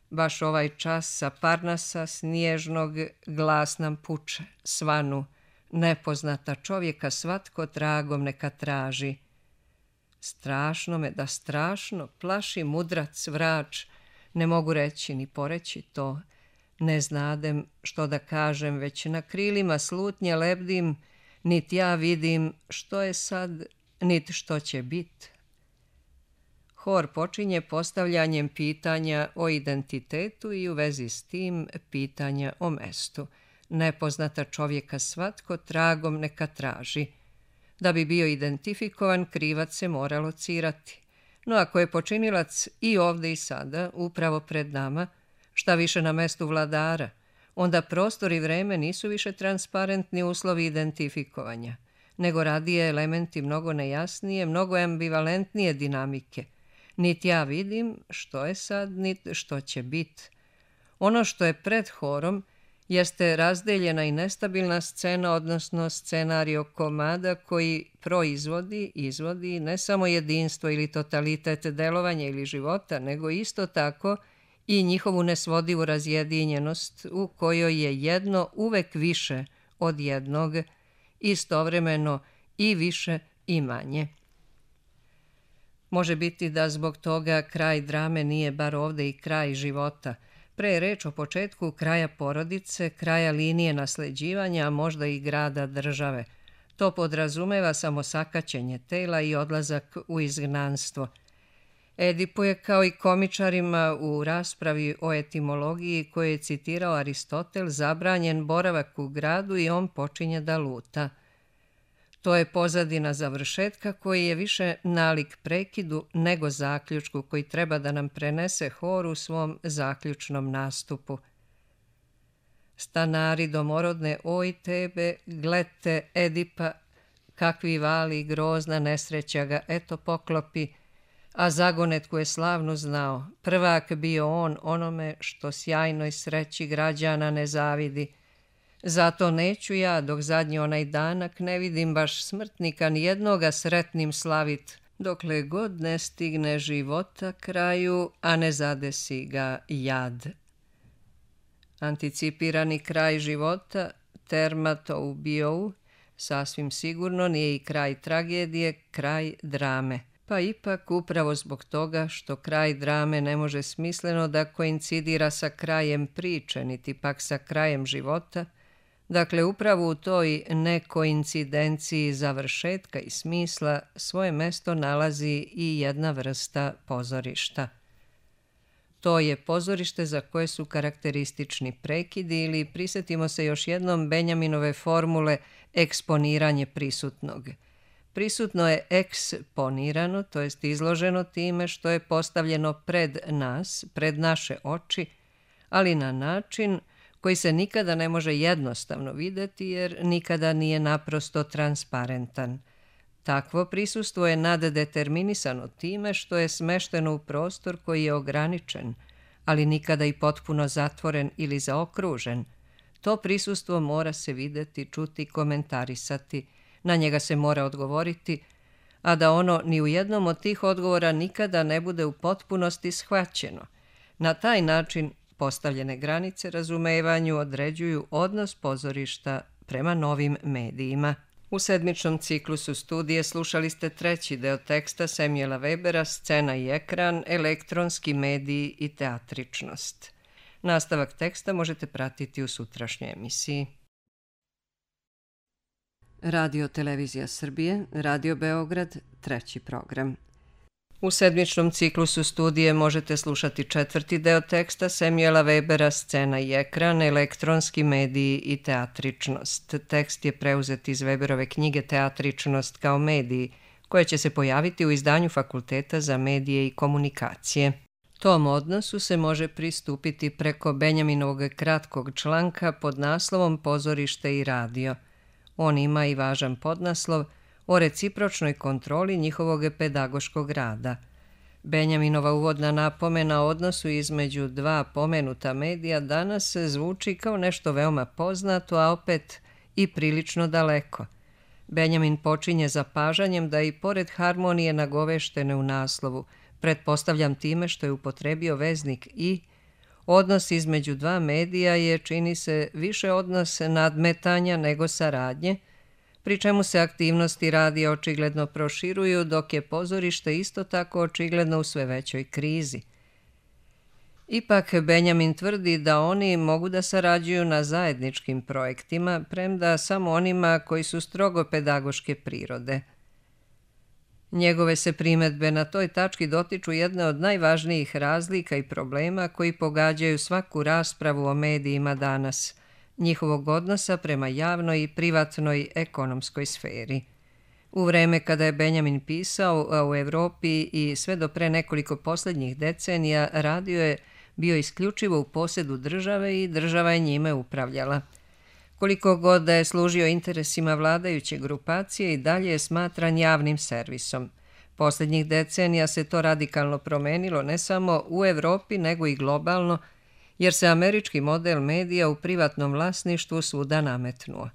Speaker 1: Baš ovaj čas sa Parnasa snježnog glas nam puče, svanu, nepoznata čovjeka svatko tragom neka traži. Strašno me da strašno plaši mudrac vrač, ne mogu reći ni poreći to, ne znadem što da kažem, već na krilima slutnje lebdim, nit ja vidim što je sad, nit što će bit. Hor počinje postavljanjem pitanja o identitetu i u vezi s tim pitanja o mestu. Nepoznata čovjeka svatko tragom neka traži. Da bi bio identifikovan, krivac se mora locirati. No ako je počinilac i ovdje i sada, upravo pred nama, šta više na mestu vladara, onda prostor i vreme nisu više transparentni uslovi identifikovanja, nego radije elementi mnogo nejasnije, mnogo ambivalentnije dinamike. Niti ja vidim što je sad, niti što će bit. Ono što je pred horom jeste razdeljena i nestabilna scena, odnosno scenario komada koji proizvodi, izvodi ne samo jedinstvo ili totalitet delovanja ili života, nego isto tako i njihovu nesvodivu razjedinjenost u kojoj je jedno uvek više od jednog, istovremeno i više i manje. Može biti da zbog toga kraj drame nije bar ovdje i kraj života. Pre je reč o početku kraja porodice, kraja linije nasleđivanja, a možda i grada države. To podrazumeva samo sakaćenje tela i odlazak u izgnanstvo. Edipu je kao i komičarima u raspravi o etimologiji koje je citirao Aristotel zabranjen boravak u gradu i on počinje da luta. To je pozadina završetka koji je više nalik prekidu nego zaključku koji treba da nam prenese hor u svom zaključnom nastupu. Stanari domorodne, oj tebe, glete Edipa, kakvi vali grozna nesreća ga, eto poklopi, a zagonetku je slavnu znao, prvak bio on onome što sjajnoj sreći građana ne zavidi. Zato neću ja, dok zadnji onaj danak ne vidim baš smrtnika nijednoga sretnim slavit, dokle god ne stigne života kraju, a ne zadesi ga jad. Anticipirani kraj života, termato ubijou, sasvim sigurno nije i kraj tragedije, kraj drame. Pa ipak upravo zbog toga što kraj drame ne može smisleno da koincidira sa krajem priče, niti pak sa krajem života, dakle upravo u toj nekoincidenciji završetka i smisla svoje mesto nalazi i jedna vrsta pozorišta. To je pozorište za koje su karakteristični prekidi ili prisjetimo se još jednom Benjaminove formule eksponiranje prisutnog. Prisutno je eksponirano, to jest izloženo time što je postavljeno pred nas, pred naše oči, ali na način koji se nikada ne može jednostavno vidjeti jer nikada nije naprosto transparentan. Takvo prisustvo je naddeterminisano time što je smešteno u prostor koji je ograničen, ali nikada i potpuno zatvoren ili zaokružen. To prisustvo mora se vidjeti, čuti, komentarisati, na njega se mora odgovoriti, a da ono ni u jednom od tih odgovora nikada ne bude u potpunosti shvaćeno. Na taj način postavljene granice razumevanju određuju odnos pozorišta prema novim medijima. U sedmičnom ciklusu studije slušali ste treći deo teksta Samuela Webera Scena i ekran, elektronski mediji i teatričnost. Nastavak teksta možete pratiti u sutrašnjoj emisiji. Radio Televizija Srbije, Radio Beograd, treći program. U sedmičnom ciklusu studije možete slušati četvrti deo teksta Samuela Webera Scena i ekran, elektronski mediji i teatričnost. Tekst je preuzet iz Weberove knjige Teatričnost kao mediji, koja će se pojaviti u izdanju Fakulteta za medije i komunikacije. Tom odnosu se može pristupiti preko Benjaminovog kratkog članka pod naslovom Pozorište i radio. On ima i važan podnaslov o recipročnoj kontroli njihovog pedagoškog rada. Benjaminova uvodna napomena o odnosu između dva pomenuta medija danas zvuči kao nešto veoma poznato, a opet i prilično daleko. Benjamin počinje zapažanjem da i pored harmonije nagoveštene u naslovu, pretpostavljam time što je upotrebio veznik i, odnos između dva medija je, čini se, više odnos nadmetanja nego saradnje, pri čemu se aktivnosti radija očigledno proširuju, dok je pozorište isto tako očigledno u sve većoj krizi. Ipak Benjamin tvrdi da oni mogu da sarađuju na zajedničkim projektima, premda samo onima koji su strogo pedagoške prirode. Njegove se primedbe na toj tački dotiču jedne od najvažnijih razlika i problema koji pogađaju svaku raspravu o medijima danas, njihovog odnosa prema javnoj i privatnoj ekonomskoj sferi. U vreme kada je Benjamin pisao, a u Evropi i sve do pre nekoliko posljednjih decenija, radio je bio isključivo u posjedu države i država je njime upravljala. Koliko god da je služio interesima vladajuće grupacije i dalje je smatran javnim servisom. Posljednjih decenija se to radikalno promenilo ne samo u Evropi nego i globalno, jer se američki model medija u privatnom vlasništvu svuda nametnuo.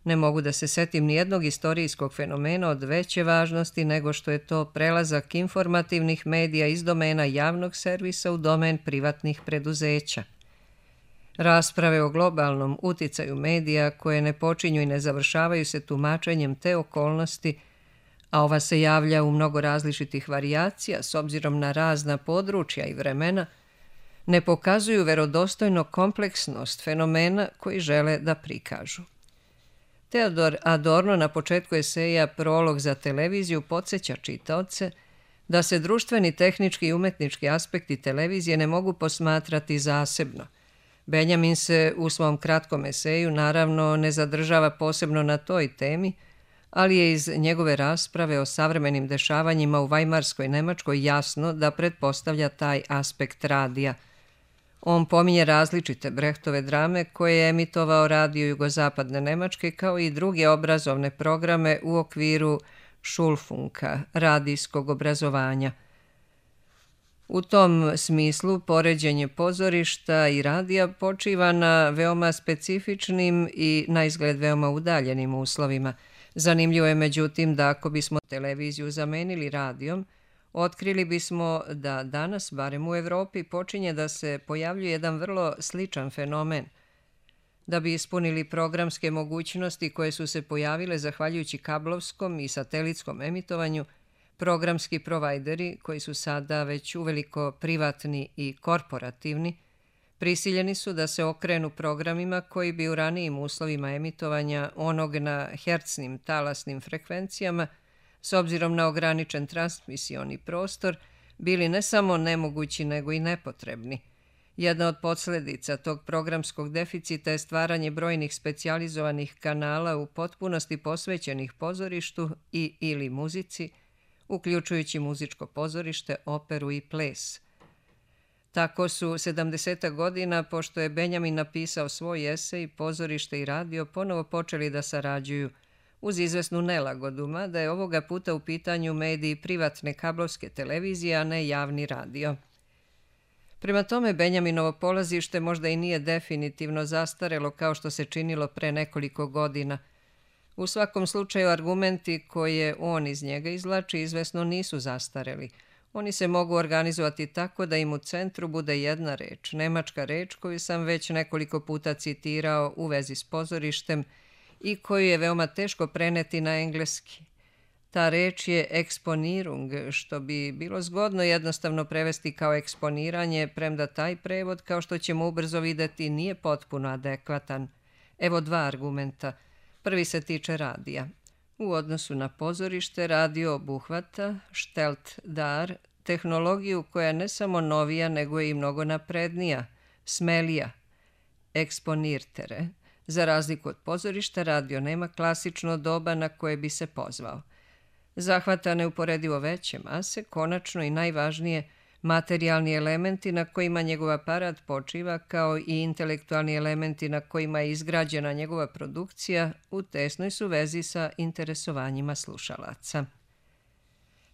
Speaker 1: Ne mogu da se setim nijednog istorijskog fenomena od veće važnosti nego što je to prelazak informativnih medija iz domena javnog servisa u domen privatnih preduzeća. Rasprave o globalnom uticaju medija koje ne počinju i ne završavaju se tumačenjem te okolnosti, a ova se javlja u mnogo različitih varijacija s obzirom na razna područja i vremena, ne pokazuju verodostojno kompleksnost fenomena koji žele da prikažu. Teodor Adorno na početku eseja Prolog za televiziju podsjeća čitaoce da se društveni, tehnički i umetnički aspekti televizije ne mogu posmatrati zasebno. Benjamin se u svom kratkom eseju naravno ne zadržava posebno na toj temi, ali je iz njegove rasprave o savremenim dešavanjima u Vajmarskoj Nemačkoj jasno da pretpostavlja taj aspekt radija. On pominje različite Brechtove drame koje je emitovao radio Jugozapadne Nemačke kao i druge obrazovne programe u okviru Schulfunka, radijskog obrazovanja. U tom smislu poređenje pozorišta i radija počiva na veoma specifičnim i na izgled veoma udaljenim uslovima. Zanimljivo je međutim da ako bismo televiziju zamenili radijom, otkrili bismo da danas, barem u Evropi, počinje da se pojavljuje jedan vrlo sličan fenomen. Da bi ispunili programske mogućnosti koje su se pojavile zahvaljujući kablovskom i satelitskom emitovanju, programski provajderi, koji su sada već uveliko privatni i korporativni, prisiljeni su da se okrenu programima koji bi u ranijim uslovima emitovanja onog na hercnim talasnim frekvencijama, s obzirom na ograničen transmisioni prostor, bili ne samo nemogući nego i nepotrebni. Jedna od posledica tog programskog deficita je stvaranje brojnih specijalizovanih kanala u potpunosti posvećenih pozorištu i ili muzici, uključujući muzičko pozorište, operu i ples. Tako su sedamdesetih godina, pošto je Benjamin napisao svoj esej, pozorište i radio ponovo počeli da sarađuju, uz izvesnu nelagodu, mada je ovoga puta u pitanju mediji privatne kablovske televizije, a ne javni radio. Prema tome, Benjaminovo polazište možda i nije definitivno zastarelo kao što se činilo pre nekoliko godina. U svakom slučaju, argumenti koje on iz njega izvlači izvesno nisu zastareli. Oni se mogu organizovati tako da im u centru bude jedna reč, nemačka reč koju sam već nekoliko puta citirao u vezi s pozorištem i koju je veoma teško preneti na engleski. Ta reč je eksponirung, što bi bilo zgodno jednostavno prevesti kao eksponiranje, premda taj prevod, kao što ćemo ubrzo videti, nije potpuno adekvatan. Evo dva argumenta. Prvi se tiče radija. U odnosu na pozorište, radio obuhvata, štelt dar, tehnologiju koja je ne samo novija, nego je i mnogo naprednija, smelija, eksponirtere. Za razliku od pozorišta, radio nema klasično doba na koje bi se pozvao. Zahvata neuporedivo veće mase, konačno i najvažnije, materijalni elementi na kojima njegov aparat počiva, kao i intelektualni elementi na kojima je izgrađena njegova produkcija, u tesnoj su vezi sa interesovanjima slušalaca.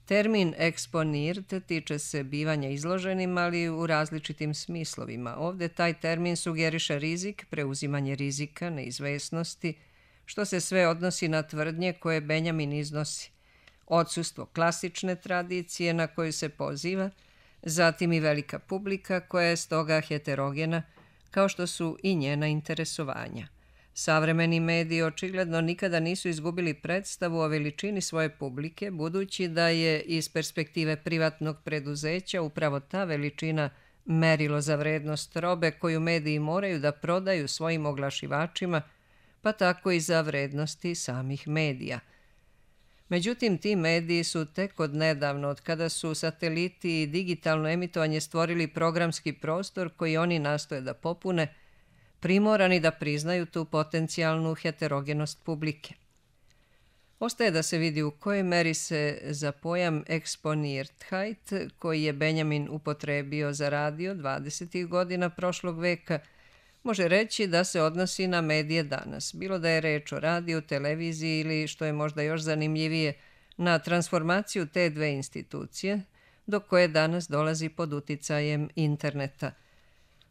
Speaker 1: Termin eksponirt tiče se bivanja izloženim, ali u različitim smislovima. Ovde taj termin sugeriše rizik, preuzimanje rizika, neizvesnosti, što se sve odnosi na tvrdnje koje Benjamin iznosi. Odsustvo klasične tradicije na koju se poziva, zatim i velika publika koja je stoga heterogena, kao što su i njena interesovanja. Savremeni mediji očigledno nikada nisu izgubili predstavu o veličini svoje publike, budući da je iz perspektive privatnog preduzeća upravo ta veličina merilo za vrednost robe koju mediji moraju da prodaju svojim oglašivačima, pa tako i za vrednosti samih medija. Međutim, ti mediji su tek od nedavno, od kada su sateliti i digitalno emitovanje stvorili programski prostor koji oni nastoje da popune, primorani da priznaju tu potencijalnu heterogenost publike. Ostaje da se vidi u kojoj meri se za pojam Exponiertheit, koji je Benjamin upotrebio za radio dvadesetih godina prošlog veka, može reći da se odnosi na medije danas, bilo da je reč o radiju, televiziji ili, što je možda još zanimljivije, na transformaciju te dve institucije, do koje danas dolazi pod uticajem interneta.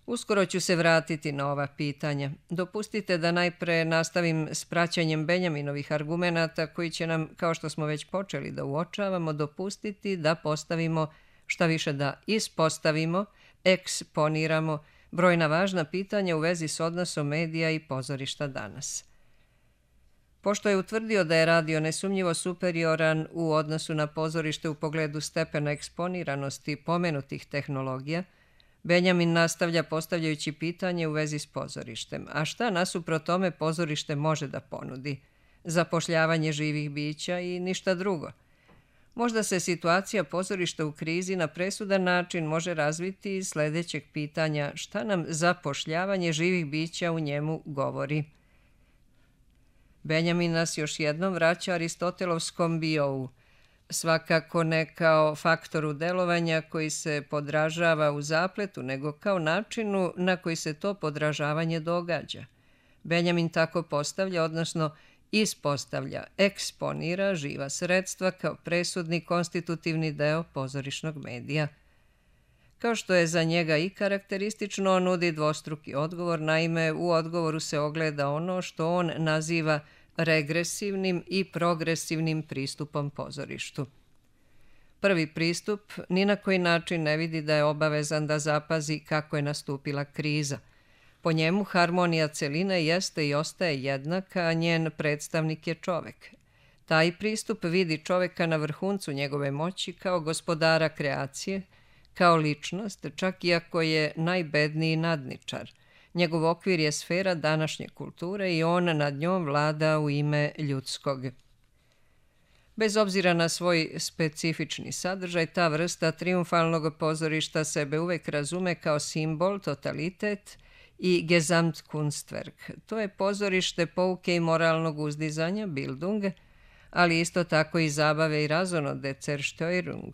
Speaker 1: Uskoro ću se vratiti na ova pitanja. Dopustite da najpre nastavim s praćanjem Benjaminovih argumenata koji će nam, kao što smo već počeli da uočavamo, dopustiti da postavimo, šta više da ispostavimo, eksponiramo brojna važna pitanja u vezi s odnosom medija i pozorišta danas. Pošto je utvrdio da je radio nesumnjivo superioran u odnosu na pozorište u pogledu stepena eksponiranosti pomenutih tehnologija, Benjamin nastavlja postavljajući pitanje u vezi s pozorištem. A šta nasuprot tome pozorište može da ponudi? Zapošljavanje živih bića i ništa drugo. Možda se situacija pozorišta u krizi na presudan način može razviti iz sledećeg pitanja: šta nam zapošljavanje živih bića u njemu govori? Benjamin nas još jednom vraća Aristotelovskom biou, svakako ne kao faktoru delovanja koji se podražava u zapletu, nego kao načinu na koji se to podražavanje događa. Benjamin tako postavlja, odnosno ispostavlja, eksponira živa sredstva kao presudni konstitutivni deo pozorišnog medija. Kao što je za njega i karakteristično, on nudi dvostruki odgovor, naime u odgovoru se ogleda ono što on naziva regresivnim i progresivnim pristupom pozorištu. Prvi pristup ni na koji način ne vidi da je obavezan da zapazi kako je nastupila kriza. Po njemu harmonija celine jeste i ostaje jednaka, a njen predstavnik je čovek. Taj pristup vidi čoveka na vrhuncu njegove moći kao gospodara kreacije, kao ličnost, čak i ako je najbedniji nadničar. Njegov okvir je sfera današnje kulture i on nad njom vlada u ime ljudskog. Bez obzira na svoj specifični sadržaj, ta vrsta triumfalnog pozorišta sebe uvek razume kao simbol, totalitet i Gesamtkunstwerk. To je pozorište pouke i moralnog uzdizanja, Bildung, ali isto tako i zabave i razonode, Zerstörung,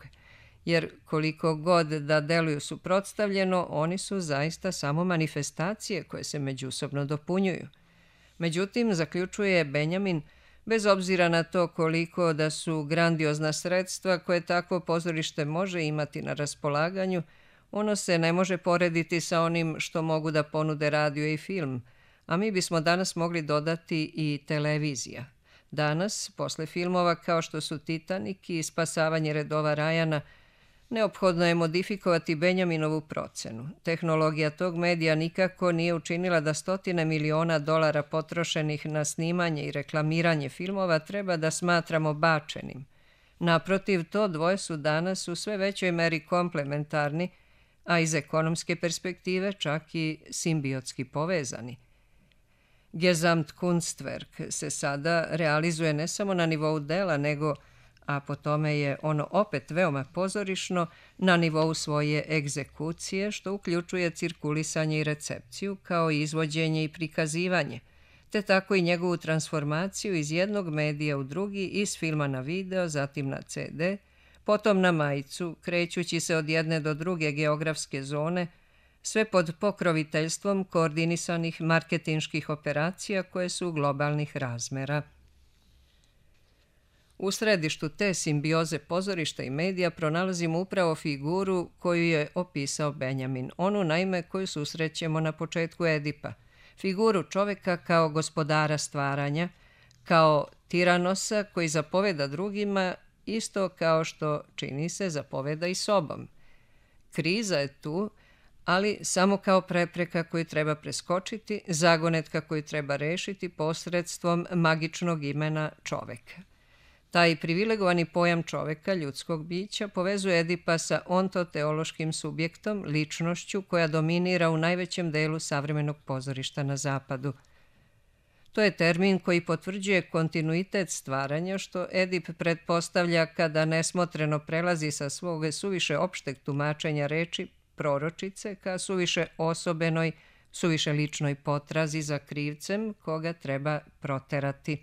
Speaker 1: jer koliko god da deluju suprotstavljeno, oni su zaista samo manifestacije koje se međusobno dopunjuju. Međutim, zaključuje Benjamin, bez obzira na to koliko da su grandiozna sredstva koje takvo pozorište može imati na raspolaganju, ono se ne može porediti sa onim što mogu da ponude radio i film, a mi bismo danas mogli dodati i televizija. Danas, posle filmova kao što su Titanik i Spasavanje redova Rajana, neophodno je modifikovati Benjaminovu procenu. Tehnologija tog medija nikako nije učinila da stotine miliona dolara potrošenih na snimanje i reklamiranje filmova treba da smatramo bačenim. Naprotiv, to dvoje su danas u sve većoj meri komplementarni, a iz ekonomske perspektive čak i simbiotski povezani. Gesamtkunstwerk se sada realizuje ne samo na nivou dela, nego, a po tome je ono opet veoma pozorišno, na nivou svoje egzekucije, što uključuje cirkulisanje i recepciju, kao i izvođenje i prikazivanje, te tako i njegovu transformaciju iz jednog medija u drugi, iz filma na video, zatim na ce de, potom na majicu, krećući se od jedne do druge geografske zone, sve pod pokroviteljstvom koordinisanih marketinških operacija koje su globalnih razmera. U središtu te simbioze pozorišta i medija pronalazimo upravo figuru koju je opisao Benjamin, onu naime koju susrećemo na početku Edipa, figuru čoveka kao gospodara stvaranja, kao tiranosa koji zapoveda drugima, isto kao što, čini se, zapoveda i sobom. Kriza je tu, ali samo kao prepreka koju treba preskočiti, zagonetka koju treba rešiti posredstvom magičnog imena čoveka. Taj privilegovani pojam čoveka, ljudskog bića, povezuje Edipa sa ontoteološkim subjektom, ličnošću koja dominira u najvećem delu savremenog pozorišta na zapadu. To je termin koji potvrđuje kontinuitet stvaranja, što Edip pretpostavlja kada nesmotreno prelazi sa svog suviše opšteg tumačenja reči proročice ka suviše osobenoj, suviše ličnoj potrazi za krivcem koga treba proterati.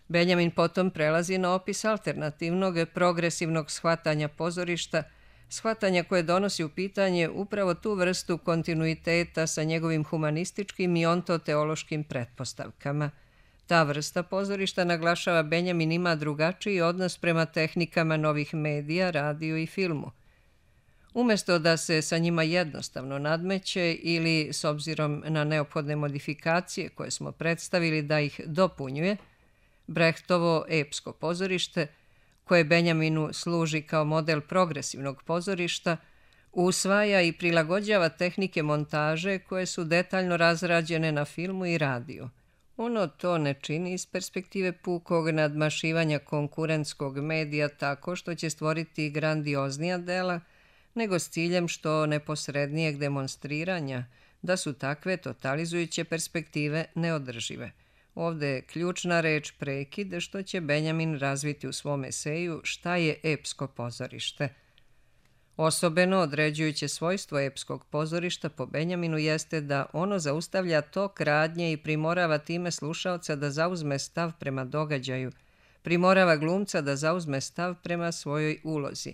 Speaker 1: Benjamin potom prelazi na opis alternativnog, progresivnog shvatanja pozorišta, shvatanja koje donosi u pitanje upravo tu vrstu kontinuiteta sa njegovim humanističkim i ontoteološkim pretpostavkama. Ta vrsta pozorišta, naglašava Benjamin, ima drugačiji odnos prema tehnikama novih medija, radiju i filmu. Umesto da se sa njima jednostavno nadmeće ili, s obzirom na neophodne modifikacije koje smo predstavili, da ih dopunjuje, Brechtovo epsko pozorište, koje Benjaminu služi kao model progresivnog pozorišta, usvaja i prilagođava tehnike montaže koje su detaljno razrađene na filmu i radiju. Ono to ne čini iz perspektive pukog nadmašivanja konkurentskog medija tako što će stvoriti grandioznija dela, nego s ciljem što neposrednijeg demonstriranja da su takve totalizujuće perspektive neodržive. Ovde je ključna reč prekid, što će Benjamin razviti u svom eseju Šta je epsko pozorište. Osobeno određujuće svojstvo epskog pozorišta po Benjaminu jeste da ono zaustavlja tok radnje i primorava time slušaoca da zauzme stav prema događaju, primorava glumca da zauzme stav prema svojoj ulozi.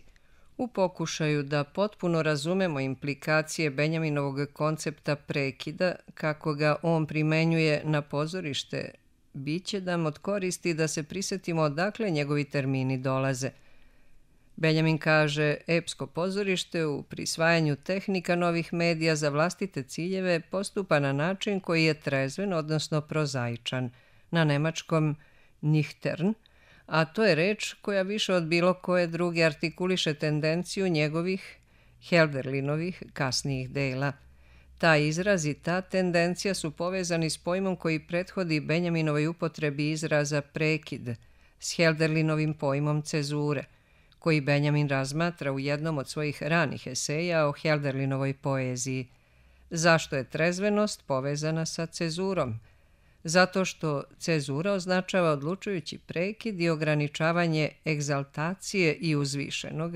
Speaker 1: U pokušaju da potpuno razumemo implikacije Benjaminovog koncepta prekida, kako ga on primenjuje na pozorište, bit će nam od koristi da se prisetimo odakle njegovi termini dolaze. Benjamin kaže, epsko pozorište u prisvajanju tehnika novih medija za vlastite ciljeve postupa na način koji je trezven, odnosno prozaičan, na nemačkom nüchtern, a to je reč koja više od bilo koje druge artikuliše tendenciju njegovih, Hölderlinovih, kasnijih dela. Taj izraz i ta tendencija su povezani s pojmom koji prethodi Benjaminovoj upotrebi izraza prekid, s Hölderlinovim pojmom cezure, koji Benjamin razmatra u jednom od svojih ranih eseja o Hölderlinovoj poeziji. Zašto je trezvenost povezana sa cezurom? Zato što cezura označava odlučujući prekid i ograničavanje egzaltacije i uzvišenog,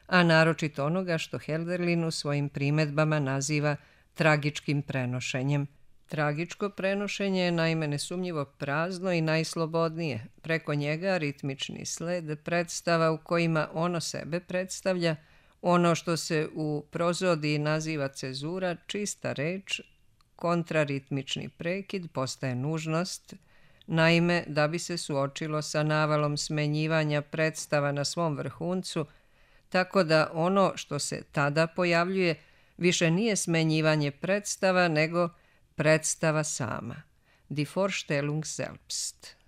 Speaker 1: a naročito onoga što Hölderlin u svojim primedbama naziva tragičkim prenošenjem. Tragičko prenošenje je naime nesumnjivo prazno i najslobodnije. Preko njega ritmični sled predstava u kojima ono sebe predstavlja, ono što se u prozodiji naziva cezura, čista reč, kontraritmični prekid postaje nužnost, naime da bi se suočilo sa navalom smenjivanja predstava na svom vrhuncu, tako da ono što se tada pojavljuje više nije smenjivanje predstava, nego predstava sama, die Vorstellung selbst.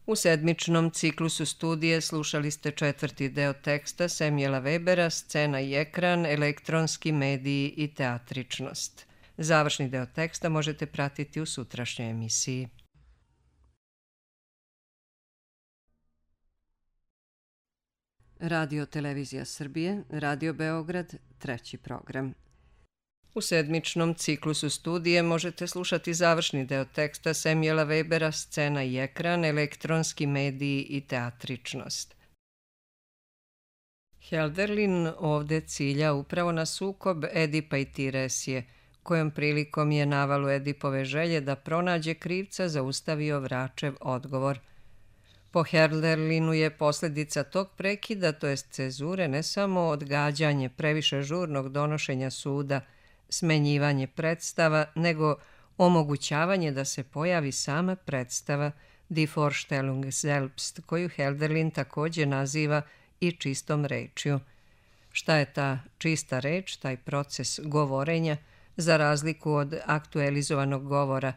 Speaker 1: U sedmičnom ciklusu studije slušali ste četvrti deo teksta Samuela Webera, Scena i ekran, elektronski mediji i teatričnost. Završni deo teksta možete pratiti u sutrašnjoj emisiji. Radio Televizija Srbije, Radio Beograd, treći program. U sedmičnom ciklusu studije možete slušati završni deo teksta Samuela Webera, Scena i ekran, elektronski mediji i teatričnost. Hölderlin ovde cilja upravo na sukob Edipa i Tiresije, kojom prilikom je navalu Edipove želje da pronađe krivca zaustavio vračev odgovor. Po Hölderlinu je posljedica tog prekida, to jest cezure, ne samo odgađanje previše žurnog donošenja suda, smenjivanje predstava, nego omogućavanje da se pojavi sama predstava die Vorstellung selbst, koju Hölderlin također naziva i čistom rečju. Šta je ta čista reč, taj proces govorenja, za razliku od aktualizovanog govora?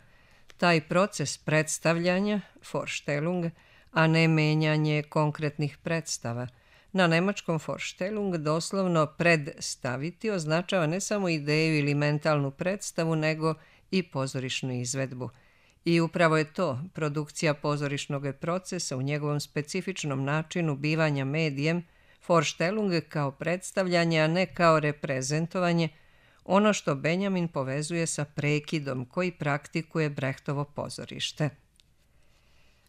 Speaker 1: Taj proces predstavljanja, Vorstellung, a ne menjanje konkretnih predstava. Na nemačkom Vorstellung doslovno predstaviti označava ne samo ideju ili mentalnu predstavu, nego i pozorišnu izvedbu. I upravo je to produkcija pozorišnog procesa u njegovom specifičnom načinu bivanja medijem, Vorstellung kao predstavljanje, a ne kao reprezentovanje, ono što Benjamin povezuje sa prekidom koji praktikuje Brechtovo pozorište.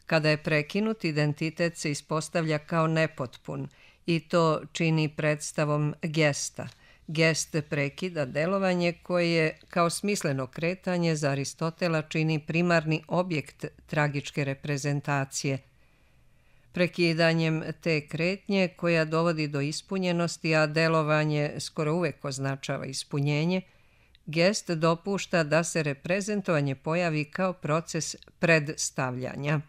Speaker 1: Kada je prekinut, identitet se ispostavlja kao nepotpun i to čini predstavom gesta. Gest prekida delovanje koje kao smisleno kretanje za Aristotela čini primarni objekt tragičke reprezentacije. Prekidanjem te kretnje koja dovodi do ispunjenosti, a delovanje skoro uvek označava ispunjenje, gest dopušta da se reprezentovanje pojavi kao proces predstavljanja.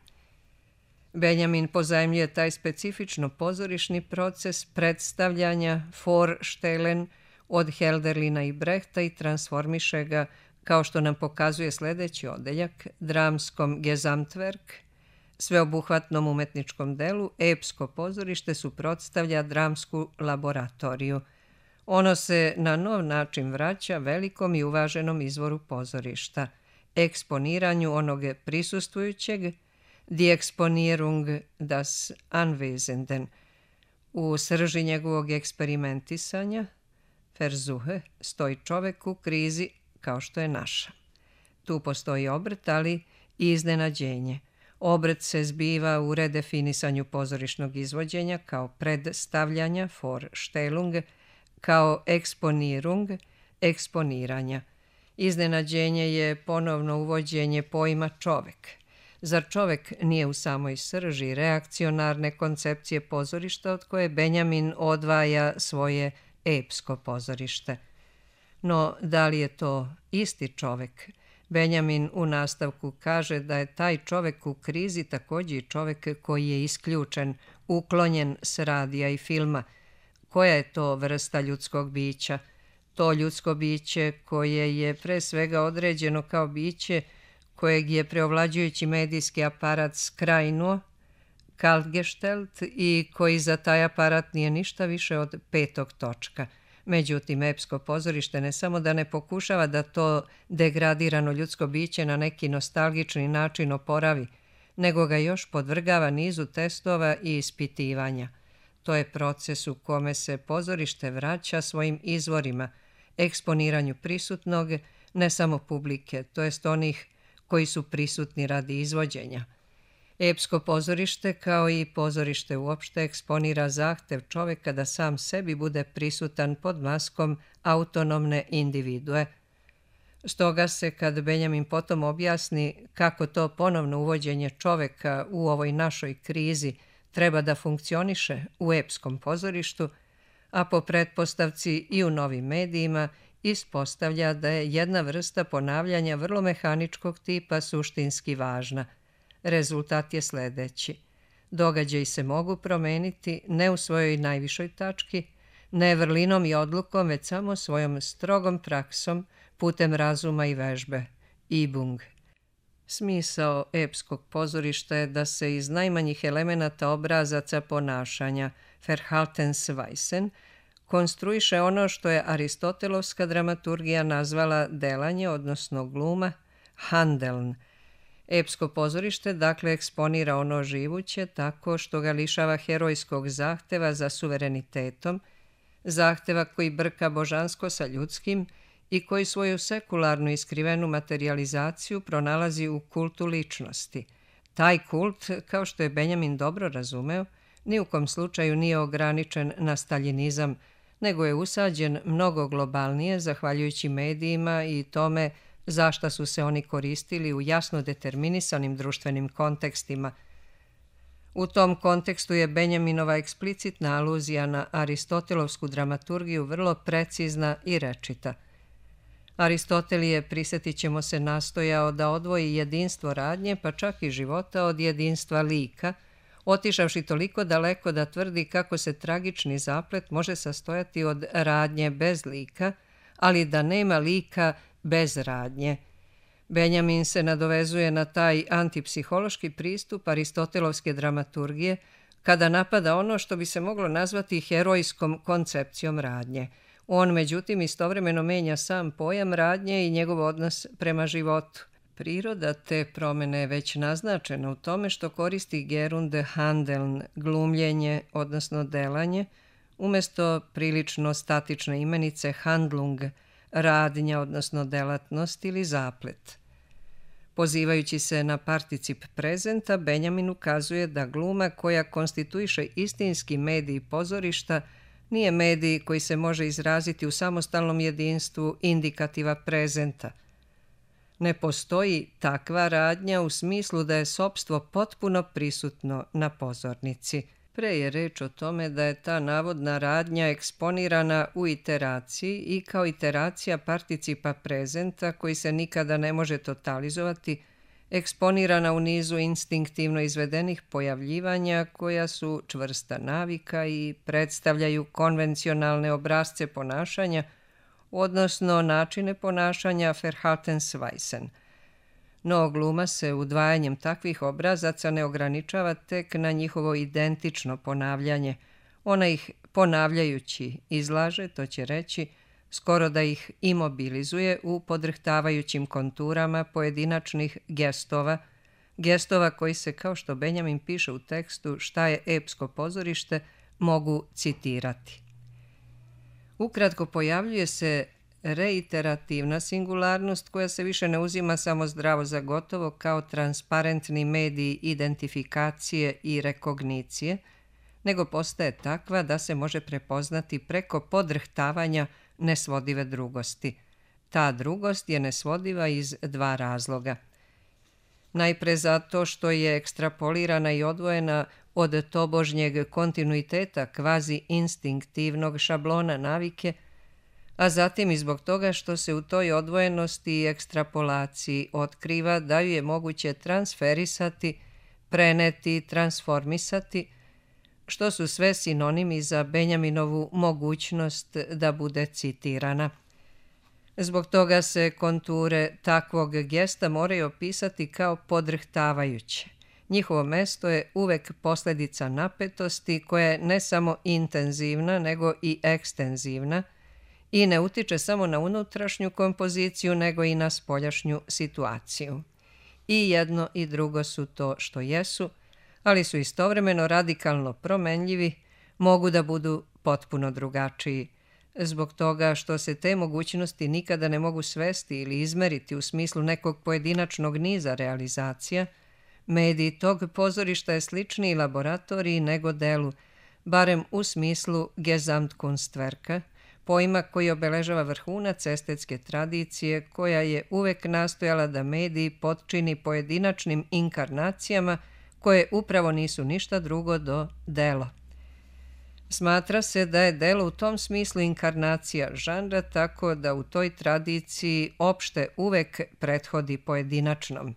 Speaker 1: Benjamin pozajmljuje taj specifično pozorišni proces predstavljanja Vorstellen od Hölderlina i Brechta i transformiše ga, kao što nam pokazuje sljedeći odeljak, dramskom Gesamtwerk, sveobuhvatnom umetničkom delu, epsko pozorište suprotstavlja dramsku laboratoriju. Ono se na nov način vraća velikom i uvaženom izvoru pozorišta, eksponiranju onog prisustvujućeg, die Exponierung das Anwesenden. U srži njegovog eksperimentisanja, Versuche, stoji čovek u krizi kao što je naša. Tu postoji obrt, ali i iznenađenje. Obrt se zbiva u redefinisanju pozorišnog izvođenja kao predstavljanja, Vorstellung, kao eksponirung, eksponiranja. Iznenađenje je ponovno uvođenje pojma čovek. Zar čovek nije u samoj srži reakcionarne koncepcije pozorišta od koje Benjamin odvaja svoje epsko pozorište? No, da li je to isti čovek? Benjamin u nastavku kaže da je taj čovek u krizi takođe i čovek koji je isključen, uklonjen s radija i filma. Koja je to vrsta ljudskog bića? To ljudsko biće koje je pre svega određeno kao biće kojeg je preovlađujući medijski aparat skrajnuo, kaltgeštelt, i koji za taj aparat nije ništa više od petog točka. Međutim, epsko pozorište ne samo da ne pokušava da to degradirano ljudsko biće na neki nostalgični način oporavi, nego ga još podvrgava nizu testova i ispitivanja. To je proces u kome se pozorište vraća svojim izvorima, eksponiranju prisutnog, ne samo publike, to jest onih koji su prisutni radi izvođenja. Epsko pozorište, kao i pozorište uopšte, eksponira zahtev čoveka da sam sebi bude prisutan pod maskom autonomne individue. Stoga se, kad Benjamin potom objasni kako to ponovno uvođenje čoveka u ovoj našoj krizi treba da funkcioniše u epskom pozorištu, a po pretpostavci i u novim medijima, ispostavlja da je jedna vrsta ponavljanja vrlo mehaničkog tipa suštinski važna. Rezultat je sledeći. Događaji se mogu promeniti ne u svojoj najvišoj tački, ne vrlinom i odlukom, već samo svojom strogom praksom putem razuma i vežbe. Übung. Smisao epskog pozorišta je da se iz najmanjih elemenata obrazaca ponašanja, Verhaltensweisen, konstruiše ono što je aristotelovska dramaturgija nazvala delanje, odnosno gluma, Handeln. Epsko pozorište dakle eksponira ono živuće tako što ga lišava herojskog zahteva za suverenitetom, zahteva koji brka božansko sa ljudskim i koji svoju sekularnu i skrivenu materijalizaciju pronalazi u kultu ličnosti. Taj kult, kao što je Benjamin dobro razumeo, ni u kom slučaju nije ograničen na staljinizam, nego je usađen mnogo globalnije zahvaljujući medijima i tome za šta su se oni koristili u jasno determinisanim društvenim kontekstima. U tom kontekstu je Benjaminova eksplicitna aluzija na aristotelovsku dramaturgiju vrlo precizna i rečita. Aristotel je, prisjetit ćemo se, nastojao da odvoji jedinstvo radnje, pa čak i života, od jedinstva lika, otišavši toliko daleko da tvrdi kako se tragični zaplet može sastojati od radnje bez lika, ali da nema lika bez radnje. Benjamin se nadovezuje na taj antipsihološki pristup aristotelovske dramaturgije kada napada ono što bi se moglo nazvati herojskom koncepcijom radnje. On, međutim, istovremeno menja sam pojam radnje i njegov odnos prema životu. Priroda te promene je već naznačena u tome što koristi gerund handeln, glumljenje, odnosno delanje, umjesto prilično statične imenice handlung, radnja, odnosno delatnost ili zaplet. Pozivajući se na particip prezenta, Benjamin ukazuje da gluma koja konstituiše istinski medij pozorišta nije medij koji se može izraziti u samostalnom jedinstvu indikativa prezenta. Ne postoji takva radnja u smislu da je sopstvo potpuno prisutno na pozornici. Pre je reč o tome da je ta navodna radnja eksponirana u iteraciji i kao iteracija participa prezenta koji se nikada ne može totalizovati, eksponirana u nizu instinktivno izvedenih pojavljivanja koja su čvrsta navika i predstavljaju konvencionalne obrazce ponašanja, odnosno načine ponašanja Verhaltensweisen. No, gluma se udvajanjem takvih obrazaca ne ograničava tek na njihovo identično ponavljanje. Ona ih ponavljajući izlaže, to će reći, skoro da ih imobilizuje u podrhtavajućim konturama pojedinačnih gestova, gestova koji se, kao što Benjamin piše u tekstu Šta je epsko pozorište, mogu citirati. Ukratko, pojavljuje se reiterativna singularnost koja se više ne uzima samo zdravo za gotovo kao transparentni mediji identifikacije i rekognicije, nego postaje takva da se može prepoznati preko podrhtavanja nesvodive drugosti. Ta drugost je nesvodiva iz dva razloga. Najpre zato što je ekstrapolirana i odvojena od tobožnjeg kontinuiteta kvazi instinktivnog šablona navike, a zatim i zbog toga što se u toj odvojenosti i ekstrapolaciji otkriva da ju je moguće transferisati, preneti, transformisati, što su sve sinonimi za Benjaminovu mogućnost da bude citirana. Zbog toga se konture takvog gesta moraju opisati kao podrhtavajuće. Njihovo mesto je uvek posljedica napetosti koja je ne samo intenzivna nego i ekstenzivna i ne utiče samo na unutrašnju kompoziciju nego i na spoljašnju situaciju. I jedno i drugo su to što jesu, ali su istovremeno radikalno promenljivi, mogu da budu potpuno drugačiji. Zbog toga što se te mogućnosti nikada ne mogu svesti ili izmeriti u smislu nekog pojedinačnog niza realizacija, medij tog pozorišta je sličniji laboratoriji nego delu, barem u smislu Gesamtkunstwerka, pojma koji obeležava vrhunac estetske tradicije koja je uvek nastojala da medij potčini pojedinačnim inkarnacijama koje upravo nisu ništa drugo do delo. Smatra se da je delo u tom smislu inkarnacija žanra, tako da u toj tradiciji opšte uvek prethodi pojedinačnom.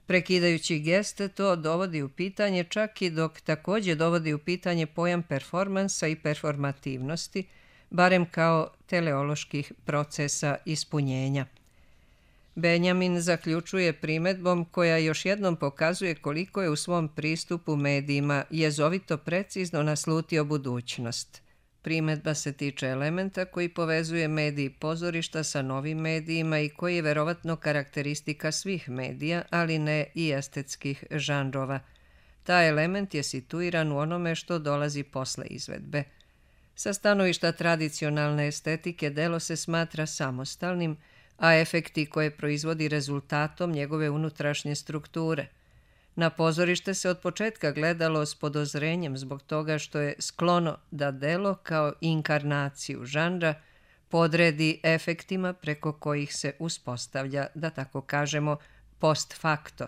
Speaker 1: Prekidajući gest to dovodi u pitanje čak i dok također dovodi u pitanje pojam performansa i performativnosti, barem kao teleoloških procesa ispunjenja. Benjamin zaključuje primedbom koja još jednom pokazuje koliko je u svom pristupu medijima jezovito precizno naslutio budućnost. Primedba se tiče elementa koji povezuje medij pozorišta sa novim medijima i koji je verovatno karakteristika svih medija, ali ne i estetskih žanrova. Taj element je situiran u onome što dolazi posle izvedbe. Sa stanovišta tradicionalne estetike delo se smatra samostalnim, a efekti koje proizvodi rezultatom njegove unutrašnje strukture. Na pozorište se od početka gledalo s podozrenjem zbog toga što je sklono da delo kao inkarnaciju žanra podredi efektima preko kojih se uspostavlja, da tako kažemo, post facto.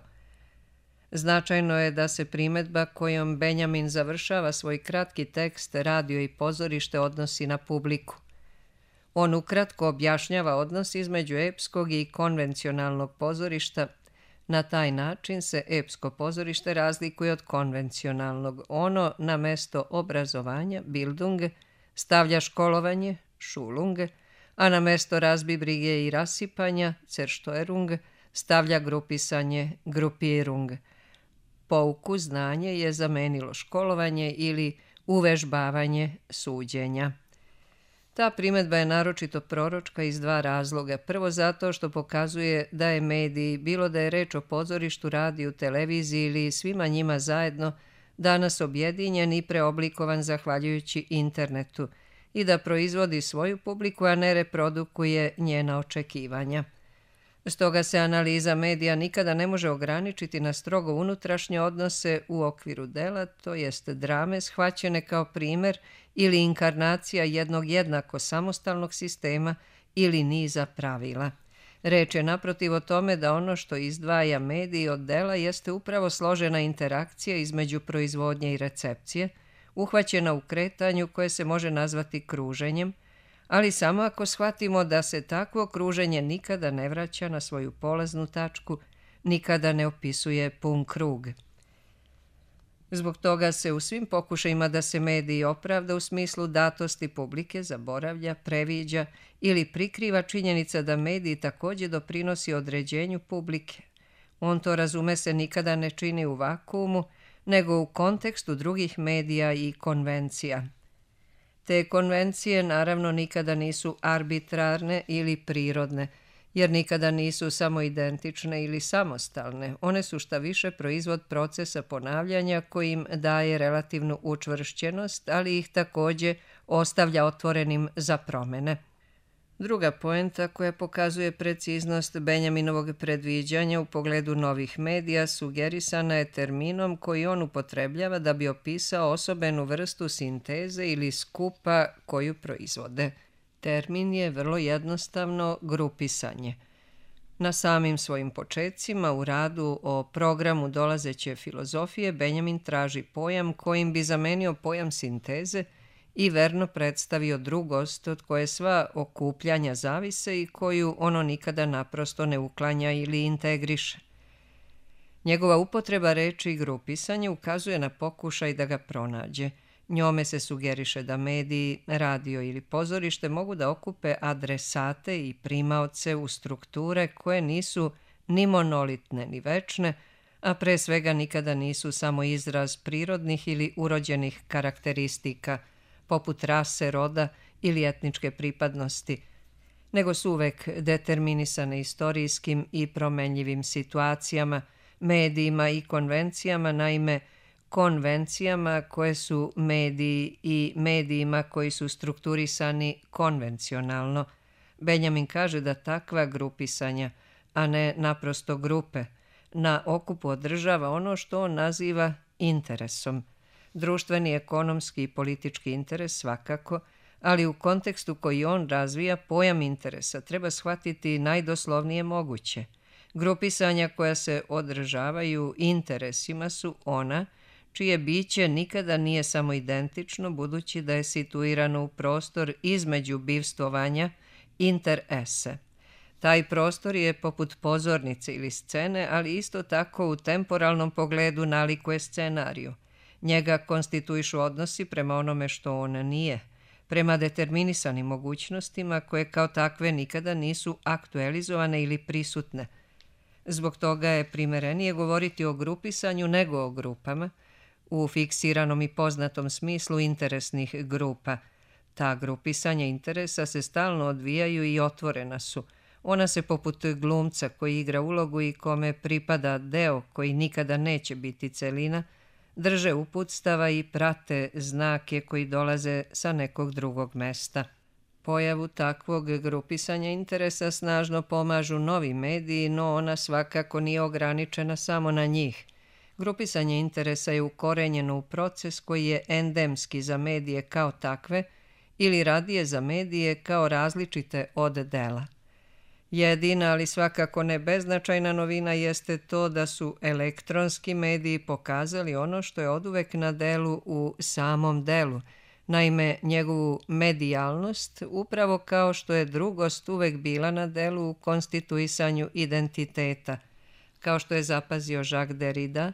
Speaker 1: Značajno je da se primedba kojom Benjamin završava svoj kratki tekst Radio i pozorište odnosi na publiku. On ukratko objašnjava odnos između epskog i konvencionalnog pozorišta. Na taj način se epsko pozorište razlikuje od konvencionalnog. Ono na mesto obrazovanja, Bildung, stavlja školovanje, Schulung, a na mesto razbibrige i rasipanja, Zerstörung, stavlja grupisanje, Gruppierung. Pouku znanje je zamenilo školovanje ili uvežbavanje suđenja. Ta primedba je naročito proročka iz dva razloga. Prvo zato što pokazuje da je medij, bilo da je reč o pozorištu, radiju, televiziji ili svima njima zajedno, danas objedinjen i preoblikovan zahvaljujući internetu i da proizvodi svoju publiku, a ne reprodukuje njena očekivanja. Stoga se analiza medija nikada ne može ograničiti na strogo unutrašnje odnose u okviru dela, to jest drame shvaćene kao primer ili inkarnacija jednog jednako samostalnog sistema ili niza pravila. Reč je naprotiv o tome da ono što izdvaja medij od dela jeste upravo složena interakcija između proizvodnje i recepcije, uhvaćena u kretanju koje se može nazvati kruženjem, ali samo ako shvatimo da se takvo kruženje nikada ne vraća na svoju polaznu tačku, nikada ne opisuje pun krug. Zbog toga se u svim pokušajima da se medij opravda u smislu datosti publike zaboravlja, previđa ili prikriva činjenica da medij također doprinosi određenju publike. On to, razume se, nikada ne čini u vakuumu, nego u kontekstu drugih medija i konvencija. Te konvencije naravno nikada nisu arbitrarne ili prirodne, jer nikada nisu samo identične ili samostalne. One su šta više proizvod procesa ponavljanja koji im daje relativnu učvršćenost, ali ih također ostavlja otvorenim za promene. Druga poenta koja pokazuje preciznost Benjaminovog predviđanja u pogledu novih medija sugerisana je terminom koji on upotrebljava da bi opisao osobenu vrstu sinteze ili skupa koju proizvode. Termin je vrlo jednostavno grupisanje. Na samim svojim počecima u radu o programu dolazeće filozofije Benjamin traži pojam kojim bi zamenio pojam sinteze i verno predstavio drugost od koje sva okupljanja zavise i koju ono nikada naprosto ne uklanja ili integriše. Njegova upotreba reči grupisanje ukazuje na pokušaj da ga pronađe. Njome se sugeriše da mediji, radio ili pozorište mogu da okupe adresate i primaoce u strukture koje nisu ni monolitne ni večne, a pre svega nikada nisu samo izraz prirodnih ili urođenih karakteristika, poput rase, roda ili etničke pripadnosti, nego su uvek determinisane istorijskim i promenljivim situacijama, medijima i konvencijama, naime, konvencijama koje su mediji i medijima koji su strukturisani konvencionalno. Benjamin kaže da takva grupisanja, a ne naprosto grupe, na okupu održava ono što on naziva interesom. Društveni, ekonomski i politički interes svakako, ali u kontekstu koji on razvija pojam interesa treba shvatiti najdoslovnije moguće. Grupisanja koja se održavaju interesima su ona čije biće nikada nije samo identično, budući da je situirano u prostor između bivstvovanja inter esse. Taj prostor je poput pozornice ili scene, ali isto tako u temporalnom pogledu nalikuje scenariju. Njega konstituišu odnosi prema onome što on nije, prema determinisanim mogućnostima koje kao takve nikada nisu aktualizovane ili prisutne. Zbog toga je primerenije govoriti o grupisanju nego o grupama, u fiksiranom i poznatom smislu interesnih grupa. Ta grupisanja interesa se stalno odvijaju i otvorena su. Ona se poput glumca koji igra ulogu i kome pripada deo koji nikada neće biti celina, drže uputstava i prate znake koji dolaze sa nekog drugog mesta. Pojavu takvog grupisanja interesa snažno pomažu novi mediji, no ona svakako nije ograničena samo na njih. Grupisanje interesa je ukorenjeno u proces koji je endemski za medije kao takve ili radije za medije kao različite od dela. Jedina, ali svakako ne beznačajna novina jeste to da su elektronski mediji pokazali ono što je oduvek na delu u samom delu, naime njegovu medijalnost, upravo kao što je drugost uvek bila na delu u konstituisanju identiteta. Kao što je zapazio Jacques Derrida,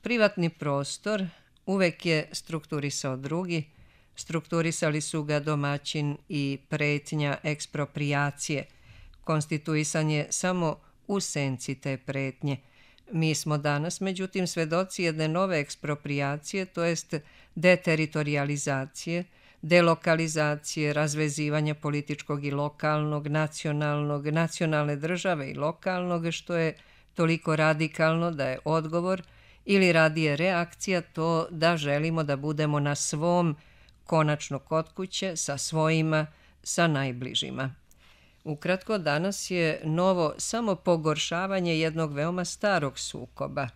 Speaker 1: privatni prostor uvek je strukturisao drugi, strukturisali su ga domaćin i pretnja eksproprijacije. Konstituisan je samo u senci te pretnje. Mi smo danas, međutim, svedoci jedne nove eksproprijacije, to jest deteritorializacije, delokalizacije, razvezivanja političkog i lokalnog, nacionalnog, nacionalne države i lokalnog, što je toliko radikalno da je odgovor ili radije reakcija to da želimo da budemo na svom, konačno kod kuće, sa svojima, sa najbližima. Ukratko, danas je novo samo pogoršavanje jednog veoma starog sukoba.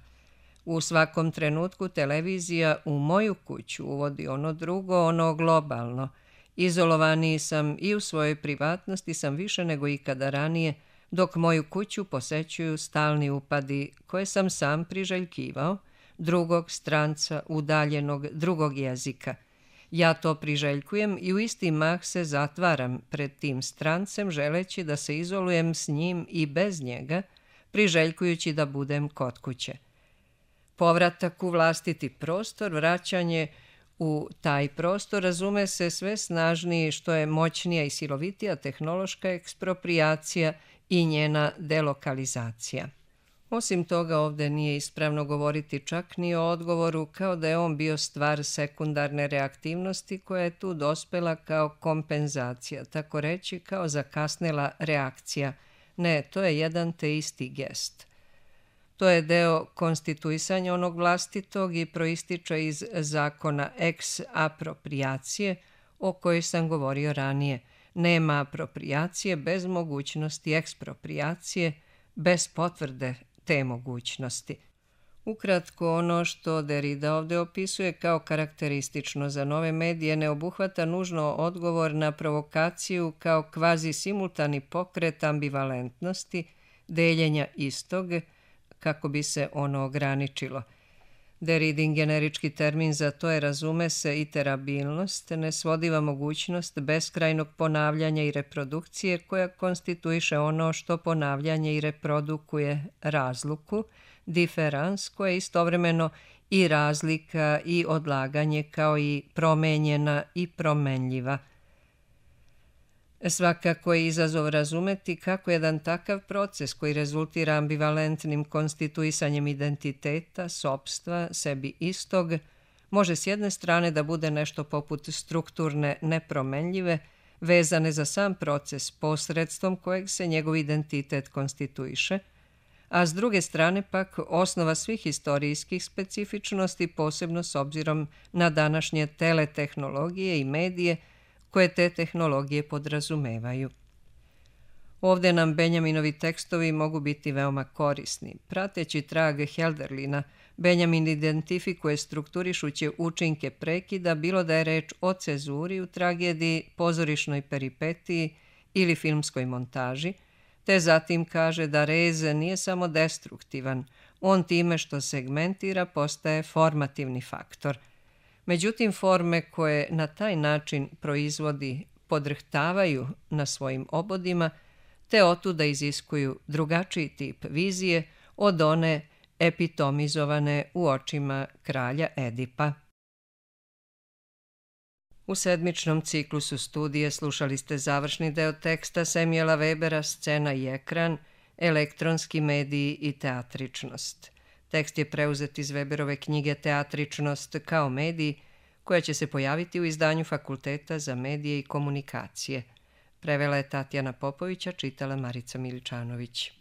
Speaker 1: U svakom trenutku televizija u moju kuću uvodi ono drugo, ono globalno. Izolovaniji sam i u svojoj privatnosti sam više nego ikada ranije, dok moju kuću posećuju stalni upadi koje sam sam priželjkivao, drugog stranca, udaljenog, drugog jezika. Ja to priželjkujem i u isti mah se zatvaram pred tim strancem, želeći da se izolujem s njim i bez njega, priželjkujući da budem kod kuće. Povratak u vlastiti prostor, vraćanje u taj prostor, razume se sve snažniji što je moćnija i silovitija tehnološka eksproprijacija i njena delokalizacija. Osim toga, ovde nije ispravno govoriti čak ni o odgovoru kao da je on bio stvar sekundarne reaktivnosti koja je tu dospela kao kompenzacija, tako reći kao zakasnela reakcija. Ne, to je jedan te isti gest. To je deo konstituisanja onog vlastitog i proističe iz zakona ex apropriacije o kojoj sam govorio ranije. Nema aproprijacije bez mogućnosti eksproprijacije, bez potvrde te mogućnosti. Ukratko, ono što Derrida ovde opisuje kao karakteristično za nove medije ne obuhvata nužno odgovor na provokaciju kao kvazi simultani pokret ambivalentnosti, deljenja istog, kako bi se ono ograničilo. Derridin generički termin za to je, razume se, iterabilnost, nesvodiva mogućnost beskrajnog ponavljanja i reprodukcije koja konstituiše ono što ponavljanje i reprodukuje razluku, diferans koja je istovremeno i razlika i odlaganje kao i promenjena i promenljiva. Svakako je izazov razumeti kako jedan takav proces koji rezultira ambivalentnim konstituisanjem identiteta, sopstva, sebi istog, može s jedne strane da bude nešto poput strukturne nepromenljive, vezane za sam proces posredstvom kojeg se njegov identitet konstituiše, a s druge strane pak osnova svih istorijskih specifičnosti, posebno s obzirom na današnje teletehnologije i medije koje te tehnologije podrazumevaju. Ovde nam Benjaminovi tekstovi mogu biti veoma korisni. Prateći trag Helderlina, Benjamin identifikuje strukturišuće učinke prekida, bilo da je reč o cezuri u tragediji, pozorišnoj peripetiji ili filmskoj montaži, te zatim kaže da rez nije samo destruktivan, on time što segmentira postaje formativni faktor. Međutim, forme koje na taj način proizvodi podrhtavaju na svojim obodima, te otuda iziskuju drugačiji tip vizije od one epitomizovane u očima kralja Edipa. U sedmičnom ciklusu studije slušali ste završni deo teksta Samuela Webera Scena i ekran, elektronski mediji i teatričnost. Tekst je preuzet iz Weberove knjige Teatričnost kao medij, koja će se pojaviti u izdanju Fakulteta za medije i komunikacije. Prevela je Tatjana Popović, a čitala Marica Miličanović.